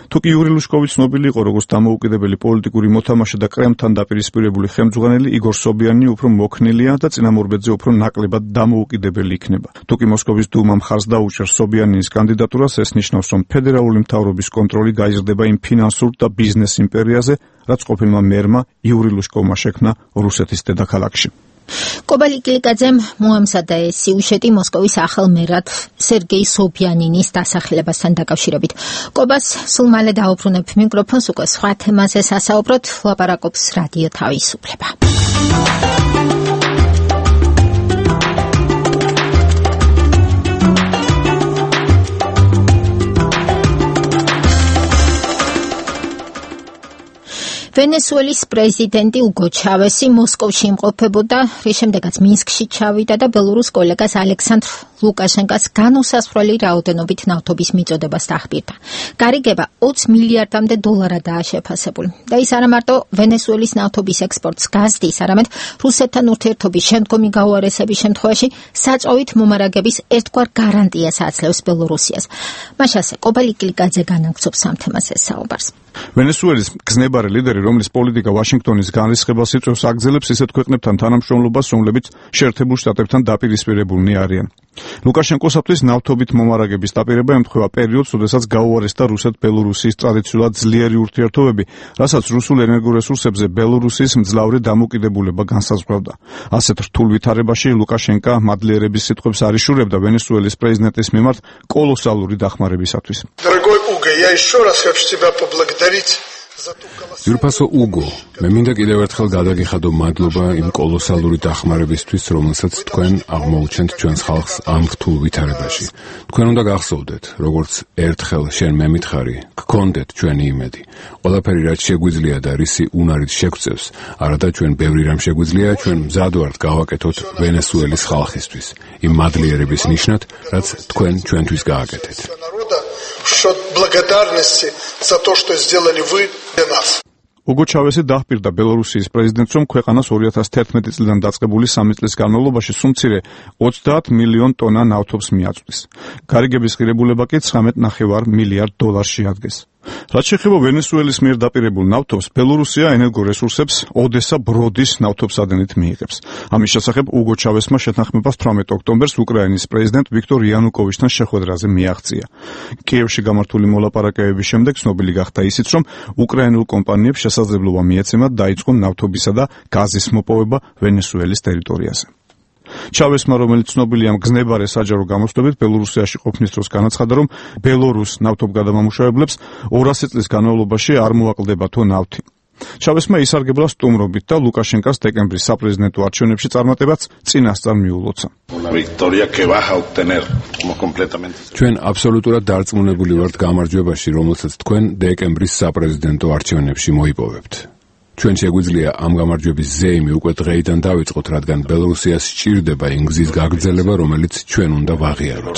თუ კი იური ლუშკოვი ცნობილი იყო როგორც დამოუკიდებელი პოლიტიკური მოთამაშე და კრემლთან დაპირისპირებული ხელმძღვანელი, იგორ სობიანი უფრო მოქნილია და წინამორბედზე უფრო ნაკლებად დამოუკიდებელი იქნება. თუ კი მოსკოვის დუმამ ხარს დაუჭერს სობიანის კანდიდატურას, ეს ნიშნავს, რომ ფედერალური მთავრობის კონტროლი გაიზრდება იმ ფინანსურ და ბიზნეს იმპერიაზე, რაც ყოფილმა მერმა იური ლუშკოვმა შექმნა რუსეთის დედაქალაქში. კობალი კილიკაძემ მოამზადა ეს სიუჟეტი მოსკოვის ახალ მერად სერგეი სობიანინის დასახელებასთან დაკავშირებით. კობას სულ მალე დაუბრუნებ მიკროფონს, უკვე სხვა თემაზე სასაუბროთ, ლაპარაკობს რადიო თავისუფლება. ვენესუელის პრეზიდენტი უგო ჩავესი მოსკოვში იმყოფებოდა, რის შემდეგაც მინსკში ჩავიდა და ბელორუს კოლეგას ალექსანდრ ლუკაშენკას განუსასვლელი რაოდენობით ნავთობის მიწოდებას დაახბირდა. გარიგება ოც მილიარდამდე დოლარადაა შეფასებული. და ის არა მარტო ვენესუელის ნავთობის ექსპორტს გაზდის, არამედ რუსეთთან ურთიერთობის შემდგომი გაუარესების შემთხვევაში საწვავით მომარაგების ერთგვარ გარანტიას აძლევს ბელორუსიას. მაშასე კობალი კილიკაძე განაგრძობს ამ თემაზე საუბარს. ვენესუელის გზნებარე ლიდერი, რომლის პოლიტიკა ვაშინგტონის განრისხებას იწვევს, აგრძელებს ისეთ ქვეყნებთან თანამშრომლობას, რომლებიც შეერთებულ შტატებთან დაპირისპირებულნი არიან. ლუკაშენკოსათვის ნავთობით მომარაგების დაპირება ემთხვევა პერიოდს, როდესაც გაუარესდა რუსეთ-ბელორუსიის ტრადიციულად ძლიერი ურთიერთობები, რასაც რუსულ ენერგორესურსებზე ბელორუსიის მძლავრი დამოკიდებულება განსაზღვრავდა. ასეთ რთულ ვითარებაში ლუკაშენკა მადლიერების სიტყვებს არ იშურებდა ვენესუელის პრეზიდენტის მიმართ კოლოსალური დახმარებისათვის. Дорогой Уго, я еще раз хочу тебя поблагодарить. ძვირფასო უგო, მე მინდა კიდევ ერთხელ გადაგიხადო მადლობა იმ კოლოსალური დახმარებისთვის, რომელსაც თქვენ აღმოუჩენთ ჩვენს ხალხს ამ რთულ ვითარებაში. თქვენ უნდა გახსოვდეთ, როგორც ერთხელ შენ მე მითხარი, გქონდეთ ჩვენი იმედი. ყველაფერი რაც შეგვიძლია და რისი უნარით შეგვწევს, არადა ჩვენ ბევრი რამ შეგვიძლია, ჩვენ მზად ვართ გავაკეთოთ ვენესუელის ხალხისთვის, იმ მადლიერების ნიშნად, რაც თქვენ ჩვენთვის გააკეთეთ. Счет благодарности за то, что сделали вы для нас. უგო ჩავესი დაჰპირდა ბელორუსიის პრეზიდენტს, რომ ქვეყანას ორი ათას თერთმეტი წლიდან დაწყებული სამი წლის განმავლობაში სუმცირე ოცდაათ მილიონ ტონა ნავთობს მიაწვდის. გარიგების ღირებულება კი ცხრამეტ ნახევარ მილიარდ დოლარს შეადგენს. რაც შეეხება ვენესუელის მიერ დაპირებულ ნავთობს, ბელორუსია ენერგორესურსებს ოდესა ბროდის ნავთობსადენით მიიღებს. ამის შესახებ უგო ჩავესმა შეთანხმებას თვრამეტ ოქტომბერს უკრაინის პრეზიდენტ ვიქტორ იანუკოვიჩთან შეხვედრაზე მიაღწია. კიევში გამართული მოლაპარაკებების შემდეგ ცნობილი გახდა ისიც, რომ უკრაინულ კომპანიებს შესაძლებლობა მიეცემათ დაიწყონ ნავთობისა და გაზის მოპოვება ვენესუელის ტერიტორიაზე. ჩავესმა, რომელიც ცნობილია მგზნებარე საჯარო გამოსვლებით ბელორუსიაში ყოფნის დროს, განაცხადა, რომ ბელორუს ნავთობგადამამუშავებლებს ორასი წლის განმავლობაში არ მოაკლდება თო ნავთი. ჩავესმა ისარგებლა სტუმრობით და ლუკაშენკას დეკემბრის საპრეზიდენტო არჩევნებში წარმატებაც წინასწარ მიულოცა. ჩვენ აბსოლუტურად დარწმუნებული ვართ გამარჯვებაში, რომელსაც თქვენ დეკემბრის საპრეზიდენტო არჩევნებში მოიპოვებთ. ჩვენ შეგვიძლია ამ გამარჯვების ზეიმი უკვე დღეიდან დავიწყოთ, რადგან ბელორუსიას სჭირდება იმ გზის გაგრძელება, რომელიც ჩვენ უნდა ვაღიაროთ.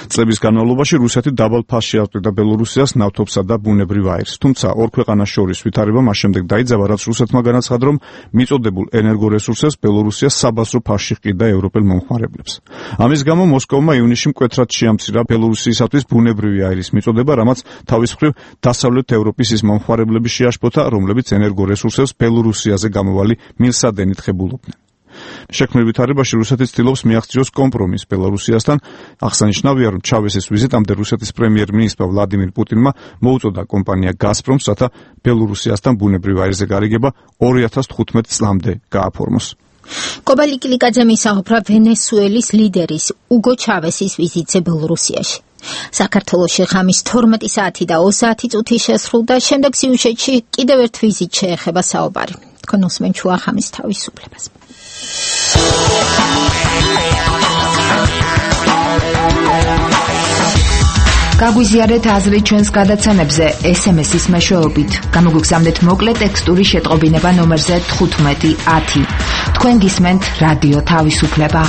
წლების განმავლობაში რუსეთი დაბალ ფასში აწვდიდა ბელორუსიას ნავთობსა და ბუნებრივ აირს. თუმცა ორ ქვეყანას შორის ვითარება მას შემდეგ დაიძაბა, რაც რუსეთმა განაცხადა, რომ მიწოდებულ ენერგორესურსებს ბელორუსია საბაზრო ფასში ჰყიდა ევროპელ მომხმარებლებს. ამის გამო მოსკოვმა ივნისში მკვეთრად შეამცირა ბელორუსიისათვის ბუნებრივი აირის მიწოდება, რამაც თავის მხრივ დასავლეთ ევროპის ის მომხმარებლები შეაშფოთა, რომლებიც ენერგორესურსებს ბელორუსიაზე გამოვალი მილსადენით ხებულობდნენ. შექმნილ ვითარებაში რუსეთი ცდილობს მიაღწიოს კომპრომისს ბელორუსიასთან. აღსანიშნავია, რომ ჩავესის ვიზიტამდე რუსეთის პრემიერ-მინისტრმა ვლადიმირ პუტინმა მოუწოდა კომპანია გაზპრომს, რათა ბელორუსიასთან ბუნებრივ აირზე გარიგება ორი ათას თხუთმეტ წლამდე გააფორმოს. კობალი კილიკაძე მისაუბრა ვენესუელის ლიდერის უგო ჩავესის ვიზიტზე ბელორუსიაში. საქართველოში ღამის თორმეტი საათი და ოცდაათი წუთი შესრულდა, შემდეგ სიუჟეტში კიდევ ერთ ვიზიტ შეეხება საუბარი. თქვენ უსმენთ შუახამის თავისუფლებას. გაგვიზიარეთ აზრი ჩვენს გადაცემებზე ეს ემ ესის მეშვეობით. გამოგვიგზავნეთ მოკლე ტექსტური შეტყობინება ნომერზე თხუთმეტი ათი. თქვენ გისმენთ რადიო თავისუფლება.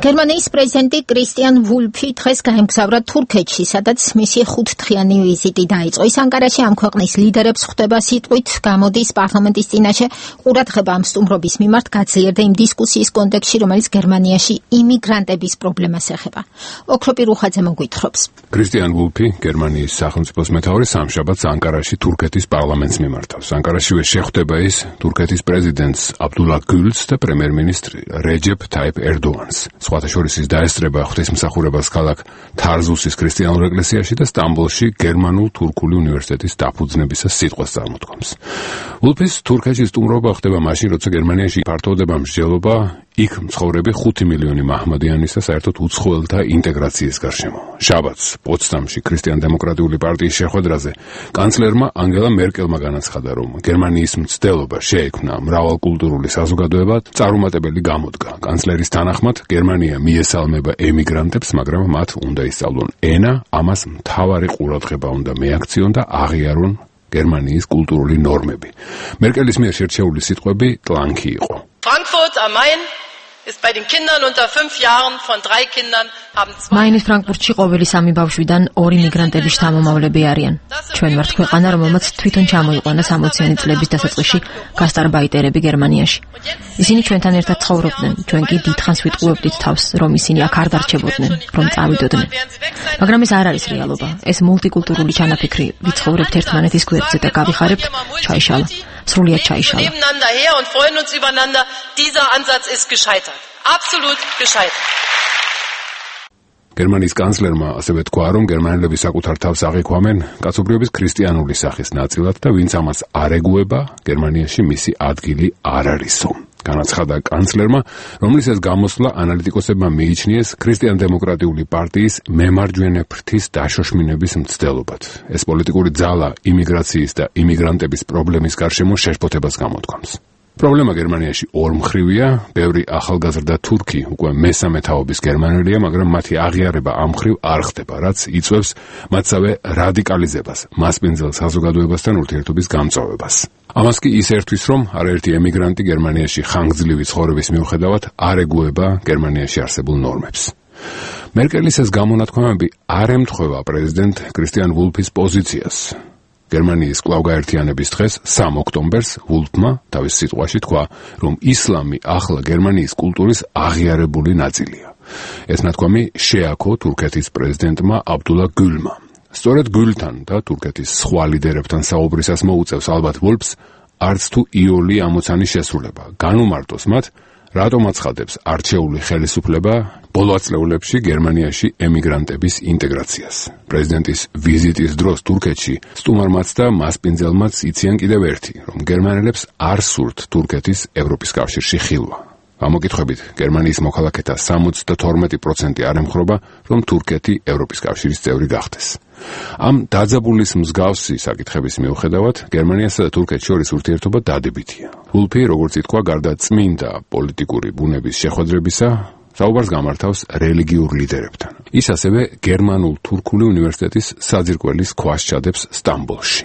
გერმანიის პრეზიდენტი კრისტიან ვულფი დღეს გაემგზავრა თურქეთში, სადაც მისი ხუთდღიანი ვიზიტი დაიწყო. ის ანკარაში ამ ქვეყნის ლიდერებს ხვდება სიტყვით, გამოდის პარლამენტის წინაშე ყურადღება ამ სტუმრობის მიმართ გაძლიერდა იმ დისკუსიის კონტექსტში, რომელიც გერმანიაში იმიგრანტების პრობლემას ეხება. ოქროპი რუხაძე მოგვითხრობს. კრისტიან ვულფი, გერმანიის სახელმწიფოს მეთაური, სამშაბათს ანკარაში თურქეთის პარლამენტს მიმართავს. ანკარაშივე შეხვდება ის თურქეთის პრეზიდენტს აბდულა გულს და პრემიერ-მინისტრ რეჯეფ თაიფ ერდოანს. სხვათა შორის ის დაესწრება ღვთისმსახურებას ქალაქ თარზუსის ქრისტიანულ ეკლესიაში და სტამბოლში გერმანულ-თურქული უნივერსიტეტის დაფუძნებისას სიტყვას წარმოთქვამს. ვულფის თურქეთში სტუმრობა ხდება მაშინ, როცა გერმანიაში ფართოვდება მსჯელობა იქ მცხოვრები ხუთი მილიონი მაჰმადიანის და საერთოდ უცხოელთა ინტეგრაციის გარშემო. შაბათს პოცდამში ქრისტიან-დემოკრატიული პარტიის შეხვედრაზე კანცლერმა ანგელა მერკელმა განაცხადა, რომ გერმანიის მცდელობა შეექმნა მრავალკულტურული საზოგადოება წარუმატებელი გამოდგა. კანცლერის თანახმად გერმანია მიესალმება ემიგრანტებს, მაგრამ მათ უნდა ისწავლონ ენა, ამას მთავარი ყურადღება უნდა მეაქციონ და აღიარონ გერმანიის კულტურული ნორმები. მერკელის მიერ შერჩეული სიტყვები ტლანქი იყო. Frankfurt am Main ist bei den Kindern unter fünf Jahren von drei Kindern haben zwei მაინის ფრანკფურტში ყოველი სამი ბავშვიდან ორი მიგრანტების შთამომავლები არიან. ჩვენ ვართ ქვეყანა, რომელმაც თვითონ ჩამოიყვანა სამოციანი წლების დასაწყისში გასტარბაიტერები გერმანიაში. ისინი ჩვენთან ერთად ცხოვრობდნენ, ჩვენ კი დიდხანს ვიტყუებდით თავს, რომ ისინი აქ არ დარჩებოდნენ, რომ წავიდოდნენ. მაგრამ ეს არ არის რეალობა. ეს მულტიკულტურული ჩანაფიქრი, ვიცხოვრებთ ერთმანეთის გვერდზე და გავიხარებთ, ჩაიშალა. სრულიად ჩაიშალა. Nebeneinander her und freuen uns übereinander. Dieser Ansatz ist gescheitert. Absolut gescheitert. გერმანიის კანცლერმა ასევე თქვა, რომ გერმანელები საკუთარ თავს აღიქვამენ კაცობრიობის ქრისტიანული სახის ნაწილად და ვინც ამას არ ეგუება, გერმანიაში მისი ადგილი არ არისო. განაცხადა კანცლერმა, რომლისას გამოსვლა ანალიტიკოსებმა მიიჩნიეს ქრისტიან-დემოკრატიული პარტიის მემარჯვენე ფრთის დაშოშმინების მცდელობად. ეს პოლიტიკური ძალა იმიგრაციის და იმიგრანტების პრობლემის გარშემო შეშფოთებას გამოთქვამს. პრობლემა გერმანიაში ორმხრივია, ბევრი ახალგაზრდა თურქი უკვე მესამე თაობის გერმანელია, მაგრამ მათი აღიარება ამ მხრივ არ ხდება, რაც იწვევს მათსავე რადიკალიზებას, მასპინძელ საზოგადოებასთან ურთიერთობის გამწვავებას. ამას კი ის ერთვის, რომ არაერთი ემიგრანტი გერმანიაში ხანგრძლივი ცხოვრების მიუხედავად არ ეგუება გერმანიაში არსებულ ნორმებს. მერკელის ეს გამონათქვამები არ ემთხვევა პრეზიდენტ კრისტიან ვულფის პოზიციას. გერმანიის კვლავ-გაერთიანების დღეს სამ ოქტომბერს ვულფმა თავის სიტყვაში თქვა, რომ ისლამი ახლა გერმანიის კულტურის აღიარებული ნაწილია. ეს ნათქვამი შეაქო თურქეთის პრეზიდენტმა აბდულა გულმა. სწორედ გულთან და თურქეთის სხვა ლიდერებთან საუბრისას მოუწევს ალბათ ვულფს არც თუ იოლი ამოცანის შესრულება. განუმარტოს მათ, რატომ აცხადებს არჩეული ხელისუფლება ბოლო ათწლეულებში გერმანიაში ემიგრანტების ინტეგრაციას. პრეზიდენტის ვიზიტის დროს თურქეთში სტუმარმაც და მასპინძელმაც იციან კიდევ ერთი, რომ გერმანელებს არ სურთ თურქეთის ევროპის კავშირში ხილვა. ამოკითხვებით, გერმანიის მოქალაქეთა სამოცდათორმეტი პროცენტი არ ემხრობა, რომ თურქეთი ევროპის კავშირის წევრი გახდეს. ამ დაძაბულის მსგავსი საკითხების მიუხედავად, გერმანიასა და თურქეთს შორის ურთიერთობა დადებითია. ვულფი, როგორც ითქვა, გარდა წმინდა პოლიტიკური ბუნების შეხვედრებისა, საუბარს გამართავს რელიგიურ ლიდერებთან. ის ასევე გერმანულ-თურქული უნივერსიტეტის საძირკველის ქვას ჩადებს სტამბოლში.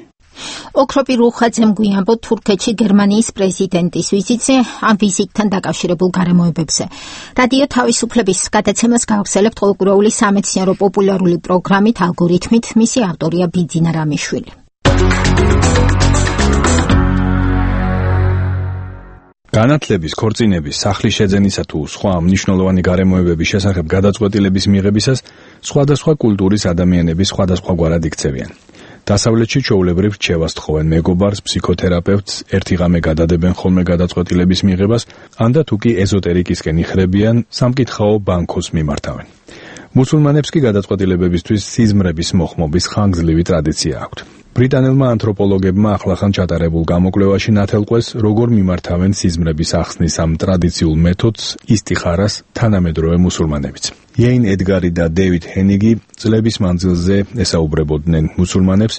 ოქროპი რუხაძემ გვიანბო თურქეთში გერმანიის პრეზიდენტის ვიზიტზე, ამ ვიზიტთან დაკავშირებულ გარემოებებზე. რადიო თავისუფლების გადაცემას გავხსენებთ ყოველკვირეული სამეცნიერო პოპულარული პროგრამით ალგორითმით, მისი ავტორია ბიძინა რამიშვილი. განათლების, ქორწინების, სახლის შეძენისა თუ სხვა მნიშვნელოვანი გარემოებების შესახებ გადაწყვეტილების მიღებისას სხვადასხვა კულტურის ადამიანები სხვადასხვაგვარად იქცევიან. დასავლეთში ჩვეულებრივ რჩევას თხოვენ მეგობარს, ფსიქოთერაპევტს, ერთი ღამე გადადებენ ხოლმე გადაწყვეტილების მიღებას, ან და თუ კი ეზოტერიკისკენ იხრებიან, სამკითხაო ბანკოს მიმართავენ. მუსულმანებს კი გადაწყვეტილებებისთვის სიზმრების მოხმობის ხანგრძლივი ტრადიცია აქვთ. ბრიტანელმა ანთროპოლოგებმა ახლახან ჩატარებულ გამოკვლევაში ნათელყვეს, როგორ მიმართავენ სიზმრების ახსნის ამ ტრადიციულ მეთოდს ისტიხარას თანამედროვე მუსულმანებიც. იეინ ედგარი და დევიდ ჰენიგი წლების მანძილზე ესაუბრებოდნენ მუსულმანებს,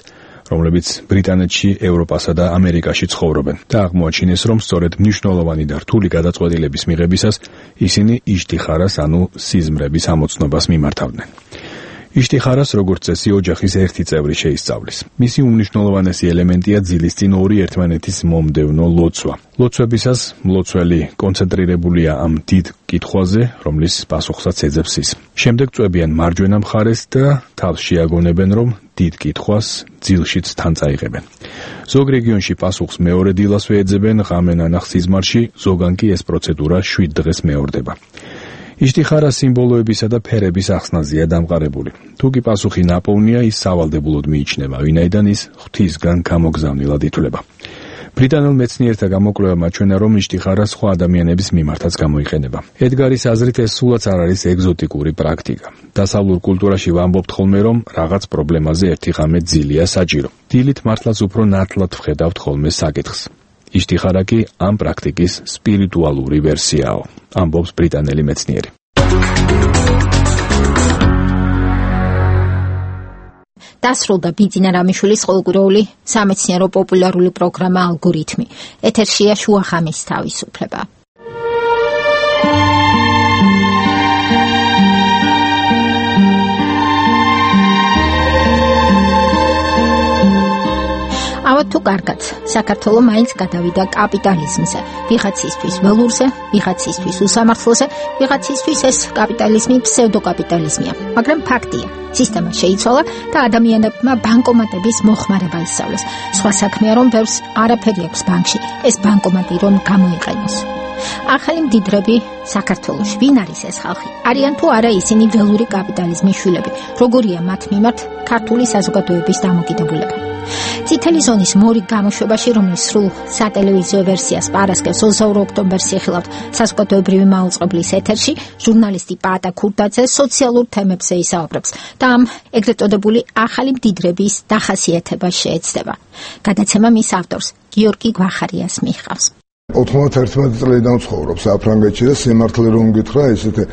რომლებიც ბრიტანეთში, ევროპასა და ამერიკაში ცხოვრობენ და აღმოაჩინეს, რომ სწორედ მნიშვნელოვანი და რთული გადაწყვეტილების მიღებისას ისინი იშტიხარას, ანუ სიზმრების ამოცნობას მიმართავდნენ. იშტიხარას როგორც წესი ოჯახის ერთი წევრი შეისწავლის. მისი უმნიშვნელოვანესი ელემენტია ძილისწინ ორი ერთმანეთის მომდევნო ლოცვა. ლოცვებისას მლოცველი კონცენტრირებულია ამ დიდ კითხვაზე, რომლის პასუხსაც ეძებს ის. შემდეგ წვებიან მარჯვენა მხარეს და თავს შეაგონებენ, რომ დიდ კითხვას ძილშიც თან წაიღებენ. ზოგ რეგიონში პასუხს მეორე დილასვე ეძებენ ღამე ნანახ სიზმარში, ზოგან კი ეს პროცედურა შვიდ დღეს მეორდება. იშტიხარა სიმბოლოებისა და ფერების ახსნაზეა დამყარებული. თუ კი პასუხი ნაპოვნია, ის სავალდებულოდ მიიჩნევა, ვინაიდან ის ღვთისგან გამოგზავნილად ითვლება. ბრიტანელ მეცნიერთა გამოკვლევამ აჩვენა, რომ იშტიხარა სხვა ადამიანების მიმართაც გამოიყენება. ედგარის აზრით ეს სულაც არ არის ეგზოტიკური პრაქტიკა. დასავლურ კულტურაში ვამბობთ ხოლმე, რომ რაღაც პრობლემაზე ერთი ღამე ძილია საჭირო. დილით მართლაც უფრო ნათლად ვხედავთ ხოლმე საკითხს. იშტიხარა კი ამ პრაქტიკის სპირიტუალური ვერსიაო, ამბობს ბრიტანელი მეცნიერი. დასრულდა ბიძინა რამიშვილის ყოველკვირეული სამეცნიერო პოპულარული პროგრამა ალგორითმი. ეთერშია შუახამის თავისუფლება. ავად თუ კარგად, საქართველო მაინც გადავიდა კაპიტალიზმზე, ვიღაცისთვის ველურზე, ვიღაცისთვის უსამართლოზე, ვიღაცისთვის ეს კაპიტალიზმი ფსევდოკაპიტალიზმია, მაგრამ ფაქტია, სისტემა შეიცვალა და ადამიანებმა ბანკომატების მოხმარება ისწავლეს. სხვა საქმეა, რომ ბევრს არაფერი აქვს ბანკში, ეს ბანკომატი რომ გამოიყენოს. ახალი მდიდრები საქართველოში, ვინ არის ეს ხალხი? არიან თუ არა ისინი ველური კაპიტალიზმის შვილები? როგორია მათ მიმართ ქართული საზოგადოების დამოკიდებულება? წითელი ზონის მორიგ გამოშვებაში, რომლის სრულ სატელევიზიო ვერსიას პარასკევს ოცდაორი ოქტომბერს იხილავთ საზოგადოებრივი მაუწყებლის ეთერში, ჟურნალისტი პაატა ქურდაძე სოციალურ თემებზე ისაუბრებს და ამ ეგრეთ წოდებული ახალი მდიდრების დახასიათებას შეეცდება. გადაცემა მის ავტორს გიორგი გვახარიას მიჰყავს. ოთხმოცდაერთმეტი წლიდან ცხოვრობ საფრანგეთში და სიმართლე რომ გითხრა, ესეთი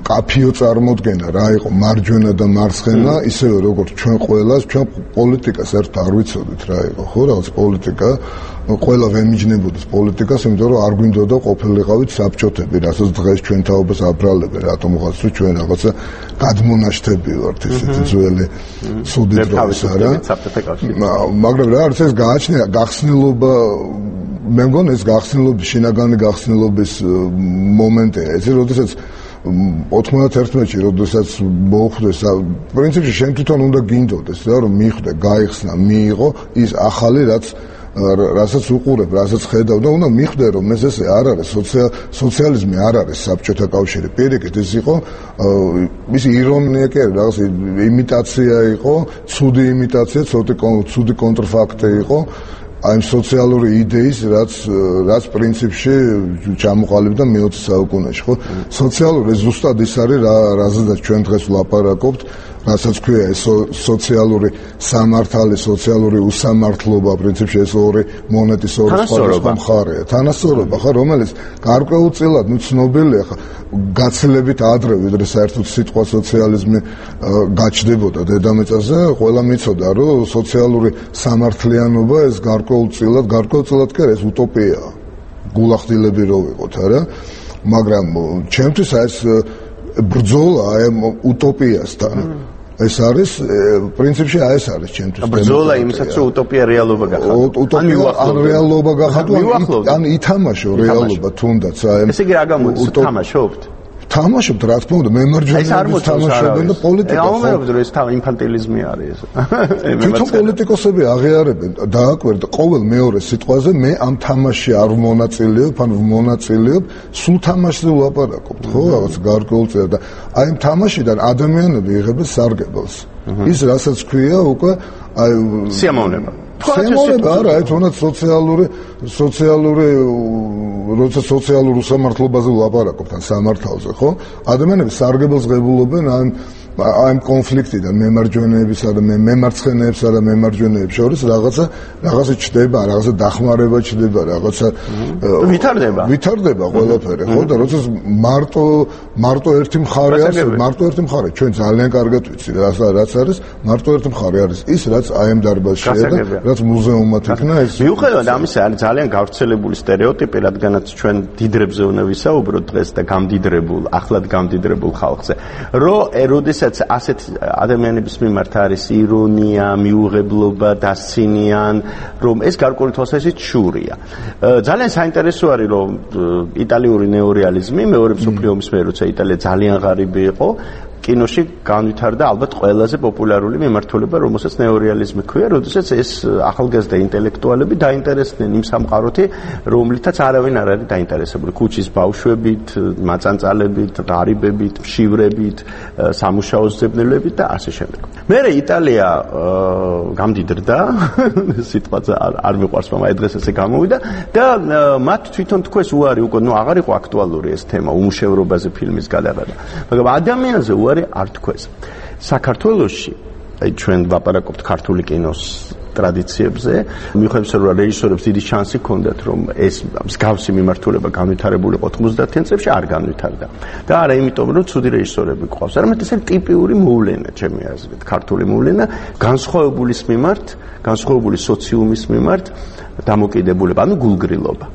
კაფიო წარმოდგენა რა იყო მარჯვენა და მარცხენა, ისევე როგორც ჩვენ ყველას, ჩვენ პოლიტიკას ერთ არ ვიცოდით რა იყო, ხო, რაღაც პოლიტიკა, ყველა ვემიჯნებოდეს პოლიტიკას, იმიტომ რომ არ გვინდოდა ყოფილიყავით საბჭოთები, რასაც დღეს ჩვენ თაობას აბრალებენ, რატომ ვიღაც თუ ჩვენ რაღაცა გადმონაშთები ვართ, ესეთი ძველი ცუდი დროის არა. მაგრამ რა არის ეს გააჩნია გახსნილობა, მე მგონი ეს გახსნილობის, შინაგანი გახსნილობის მომენტია. ესე როდესაც ოთხმოცდაერთმეტში, როდესაც მოხვდეს, პრინციპში შენ თვითონ უნდა გინდოდეს რა, რომ მიხვდე, გაიხსნა, მიიღო ის ახალი, რაც რასაც უყურებ, რასაც ხედავ და უნდა მიხვდე, რომ ეს ესე არ არის სოციალიზმი, არ არის საბჭოთა კავშირი. პირიქით ის იყო, ის ირონია კი არა, რაღაც იმიტაცია იყო, ცუდი იმიტაცია, ცუდი კონტრფაქტი იყო. აი ამ სოციალური იდეის, რაც რაც პრინციპში ჩამოყალიბდა მეოცე საუკუნეში, ხო? სოციალური ზუსტად ის არის, რაზედაც ჩვენ დღეს ვლაპარაკობთ, რასაც ქვია ეს სოციალური სამართალი, სოციალური უსამართლობა, პრინციპში ეს ორი მონეტის ორი სხვადასხვა მხარეა. თანასწორობა, ხა, რომელიც გარკვეულწილად ნუ ცნობილია, ხა, გაცილებით ადრე, ვიდრე საერთოდ სიტყვა სოციალიზმი გაჩნდებოდა დედამიწაზე, ყველა მიცოდა, რომ სოციალური სამართლიანობა ეს გარკვეულწილად, გარკვეულწილად კი არა, ეს უტოპიაა. გულახდილები რო ვიყოთ, არა? მაგრამ ჩემთვის ეს ბრძოლა აი უტოპიასთან ეს არის პრინციპში აი ეს არის ჩემთვის ბრძოლა იმისაც რომუტოპია რეალობა გახადო утопия ან რეალობა გახადო ან ითამაშო რეალობა თუნდაც აი ესე იგი რა გამოდის თამაშობთ თამაშობთ რა თქმა უნდა მემარჯვენეები თამაშობენ და პოლიტიკა ხო ამერობთ რომ ეს თავი ინფანტილიზმი არის ეს თვითონ პოლიტიკოსები აღიარებენ დააკვირდა ყოველ მეორე სიტყვაზე მე ამ თამაში არ მონაწილეობ ან მონაწილეობ სულ თამაშზე ვლაპარაკობთ ხო რაღაც გარკვეულწილად და აი ამ თამაშიდან ადამიანები იღებენ სარგებელს ის რასაც ქვია უკვე აი სიამოვნება სიამოვნება არა აი თუნდაც სოციალური სოციალური როცა სოციალურ უსამართლობაზე ვლაპარაკობთ ან სამართალზე ხო ადამიანები სარგებელს ღებულობენ ამ ამ კონფლიქტიდან მემარჯვენეებისა და მემარცხენეებსა და მემარჯვენეებს შორის რაღაცა რაღაცა ჩდება რაღაცა დახმარება ჩდება რაღაცა ვითარდება ვითარდება ყველაფერი ხო და როცა მარტო მარტო ერთი მხარე არის მარტო ერთი მხარე ჩვენ ძალიან კარგად ვიცი რაც არის მარტო ერთი მხარე არის ის რაც აი ამ დარბაზშია და რაც მუზეუმად იქნა ეს მიუხედავად ამისა არის ძალიან გავრცელებული სტერეოტიპი რადგანაც ჩვენ დიდრებზე უნდა ვისაუბროთ დღეს და გამდიდრებულ ახლად გამდიდრებულ ხალხზე რომ როდესაც ასეთ ადამიანების მიმართ არის ირონია, მიუღებლობა, დასცინიან, რომ ეს გარკვეული თვალსაზრისით შურია. ძალიან საინტერესო არის, რომ იტალიური ნეორეალიზმი მეორე მსოფლიო ომის მერე, როცა იტალია ძალიან ღარიბი იყო, კინოში განვითარდა ალბათ ყველაზე პოპულარული მიმართულება, რომელსაც ნეორეალიზმი ქვია, როდესაც ეს ახალგაზრდა ინტელექტუალები დაინტერესდნენ იმ სამყაროთი, რომლითაც არავინ არ არის დაინტერესებული. ქუჩის ბავშვებით, მაწანწალებით, ღარიბებით, მშივრებით, სამუშაო ზებნელებით და ასე შემდეგ. მერე იტალია გამდიდრდა, სიტყვაც არ მიყვარს, მაგრამ აი დღეს ესე გამოვიდა და მათ თვითონ თქვეს უარი უკვე, ნუ აღარ იყო აქტუალური ეს თემა, უმუშევრობაზე ფილმის გადაღება. მაგრამ ადამიანზე უარი არ თქვეს. საქართველოში, აი ჩვენ ვაპარაკობთ ქართული კინოს ტრადიციებზე, მიუხედავად რომ რეჟისორებს დიდი შანსი ჰქონდათ, რომ ეს მსგავსი მიმართულება განვითარებულიყო თხმოცდაათიან წლებში, არ განვითარდა. და არა იმიტომ, რომ ცუდი რეჟისორები გვყავს, არამედ ეს არის ტიპიური მოვლენა, ჩემი აზრით, ქართული მოვლენა, განსხვავებულის მიმართ, განსხვავებული სოციუმის მიმართ დამოკიდებულება, ანუ გულგრილობა.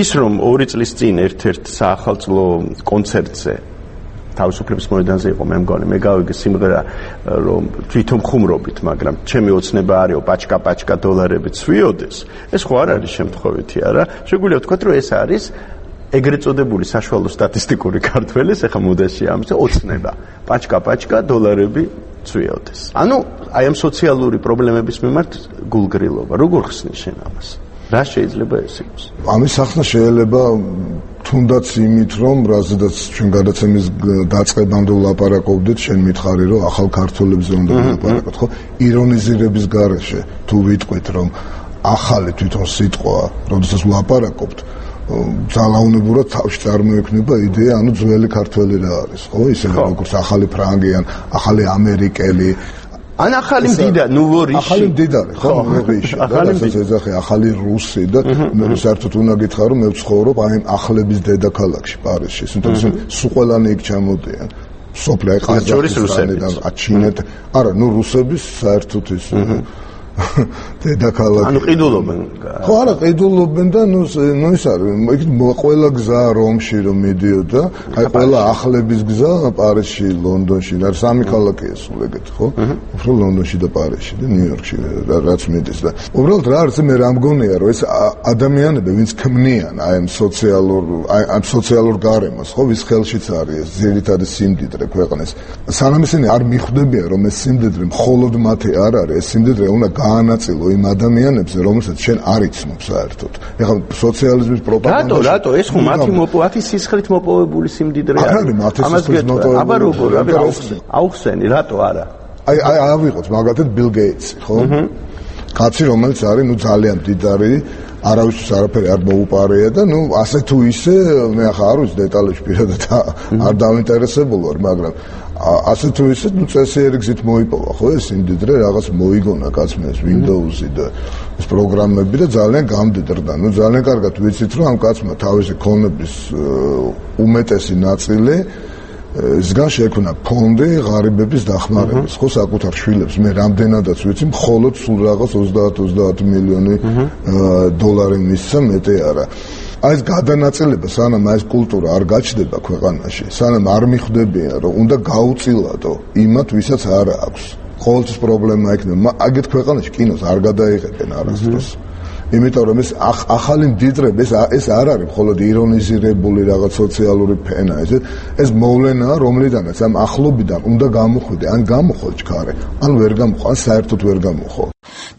ის რომ ორი წლის წინ ერთ-ერთ საახალწლო კონცერტზე თავისუფლების მოედანზე იყო მე მგონი მე გავიგე სიმღერა რომ თვითონ ხუმრობით მაგრამ ჩემი ოცნება არისო პაჩკა პაჩკა დოლარები ცვიოდეს ეს ხო არ არის შემთხვევითი არა შეგვიძლია ვთქვათ რომ ეს არის ეგრეთ წოდებული საშუალო სტატისტიკური ქართველის ეხა მოდაში ამის ოცნება პაჩკა პაჩკა დოლარები ცვიოდეს ანუ აი ამ სოციალური პრობლემების მიმართ გულგრილობა როგორ ხსნის შენ ამას რა შეიძლება ეს იყოს ამის ახსნა შეიძლება თუნდაც იმით რომ რაზედაც ჩვენ გადაცემის დაწყებამდე ვლაპარაკობდით შენ მითხარი რომ ახალ ქართველებზე უნდა ვლაპარაკოთ ხო ირონიზირების გარეშე თუ ვიტყვით რომ ახალი თვითონ სიტყვა როდესაც ვლაპარაკობთ ძალაუნებურად თავში წარმოექმნება იდეა ანუ ძველი ქართველი რა არის ხო ისინი როგორც ახალი ფრანგი ან ახალი ამერიკელი ან ახალი მდიდა ნუვორიში ახალი მდიდარი ხო ნუვორიში ახალი ეძახი ახალი რუსი და მე საერთოდ უნდა გითხრა რომ მე ვცხოვრობ აი ახლების დედაქალაქში პარიზში თუმცა სულ ყველანი იქ ჩამოდიან სოფლი ყაზახისტანიდან აჩინეთ არა ნუ რუსების საერთოდ ის დედაქალაქი ანუ ყიდულობენ ხო არა ყიდულობენ და ნუ ნუ ის არის ყველა გზა რომში რომ მიდიოდა აი ყველა ახლების გზა პარიზში ლონდონში და სამი ქალაქია სულ ეგეთ ხო უფრო ლონდონში და პარიზში და ნიუ-იორკში რაც მიდის და უბრალოდ რა არის მე რა მგონია რომ ეს ადამიანები ვინც ქმნიან აი ამ სოციალურ აი ამ სოციალურ გარემოს ხო ვის ხელშიც არის ეს ძირითადი სიმდიდრე ქვეყნის სანამ ისინი არ მიხვდებიან რომ ეს სიმდიდრე მხოლოდ მათი არ არის ეს სიმდიდრე უნდა განაწილო იმ ადამიანებზე, რომელსაც შენ არ იცნობ საერთოდ. ეხლა სოციალიზმის პროპაგანდა. რატო, რატო, ეს ხო მათი მოპოვებული სისხლით მოპოვებული სიმდიდრე არის. არ არის მათი სისხლით მოპოვებული. აბა როგორ, აბა აუხსენი, რატო არა? აი, აი ავიღოთ მაგალითად ბილ გეიტსი, ხო? კაცი რომელიც არის, ნუ ძალიან მდიდარი, არავისთვის არაფერი არ მოუპარეა და ნუ ასე თუ ისე მე ახლა არ ვიცი დეტალებში პირადად არ დავინტერესებული ვარ, მაგრამ ასე თუ ისე ნუ წესიერი გზით მოიპოვა ხო ეს იმდიდრე რაღაც მოიგონა კაცმა ეს Windows-ი და ეს პროგრამები და ძალიან გამდიდრდა. ნუ ძალიან კარგად ვიცით რომ ამ კაცმა თავისი ქონების უმეტესი ნაწილი ზგან შექმნა ფონდი ღარიბების დახმარების ხო საკუთარ შვილებს მე რამდენადაც ვიცი მხოლოდ სულ რაღაც ოცდაათ ოცდაათ მილიონი დოლარი მისცა მეტი არა აი ეს გადანაწილება, სანამ ეს კულტურა არ გაჩნდება ქვეყანაში, სანამ არ მიხვდებიან, რომ უნდა გაუწილადო იმათ, ვისაც არ აქვს. ყოველთვის პრობლემა იქნება. აგეთ ქვეყანაში კინოს არ გადაიღებენ არასდროს. იმიტომ რომ ეს ახალი მდიდრება ეს ეს არ არის მხოლოდ ირონიზირებული რაღაც სოციალური ფენა, ეს ეს მოვლენაა, რომლიდანაც ამ ახლობიდან უნდა გამოხვიდე, ან გამოხო ჩქარე, ან ვერ გამოხო, ან საერთოდ ვერ გამოხო.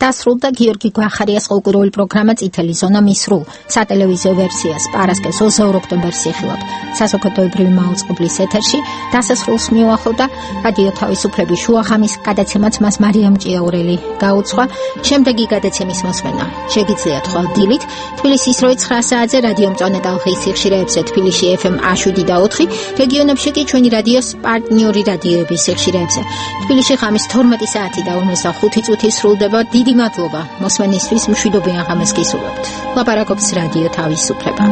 დასრულდა გიორგი გვახარიას კულტურული პროგრამა წითელი ზონა მისრულ სატელევიზიო ვერსიას პარასკევს ოცდაორი ოქტომბერს იხილავთ საზოგადოებრივი მაუწყებლის ეთერში. დასასრულს მიუახლოვდა რადიო თავისუფლების შუახამის გადაცემაც მას მარიამ ჭიაურელი გაუძღვა. შემდეგი გადაცემის მოსმენა შეგიძლიათ ხვალ დილით თბილისის როი ცხრა საათზე რადიო მწვანე ტალღის სიხშირეებზე თბილისში ეფ ემ შვიდ და ოთხი, რეგიონებში კი ჩვენი რადიოს პარტნიორი რადიოების სიხშირეებზე. თბილისში ღამის თორმეტი საათი და ორმოცდახუთი წუთი სრულდება. დიდი მადლობა მოსმენისთვის, მშვიდობიან ღამეს გისურვებთ. ლაპარაკობს რადიო თავისუფლება.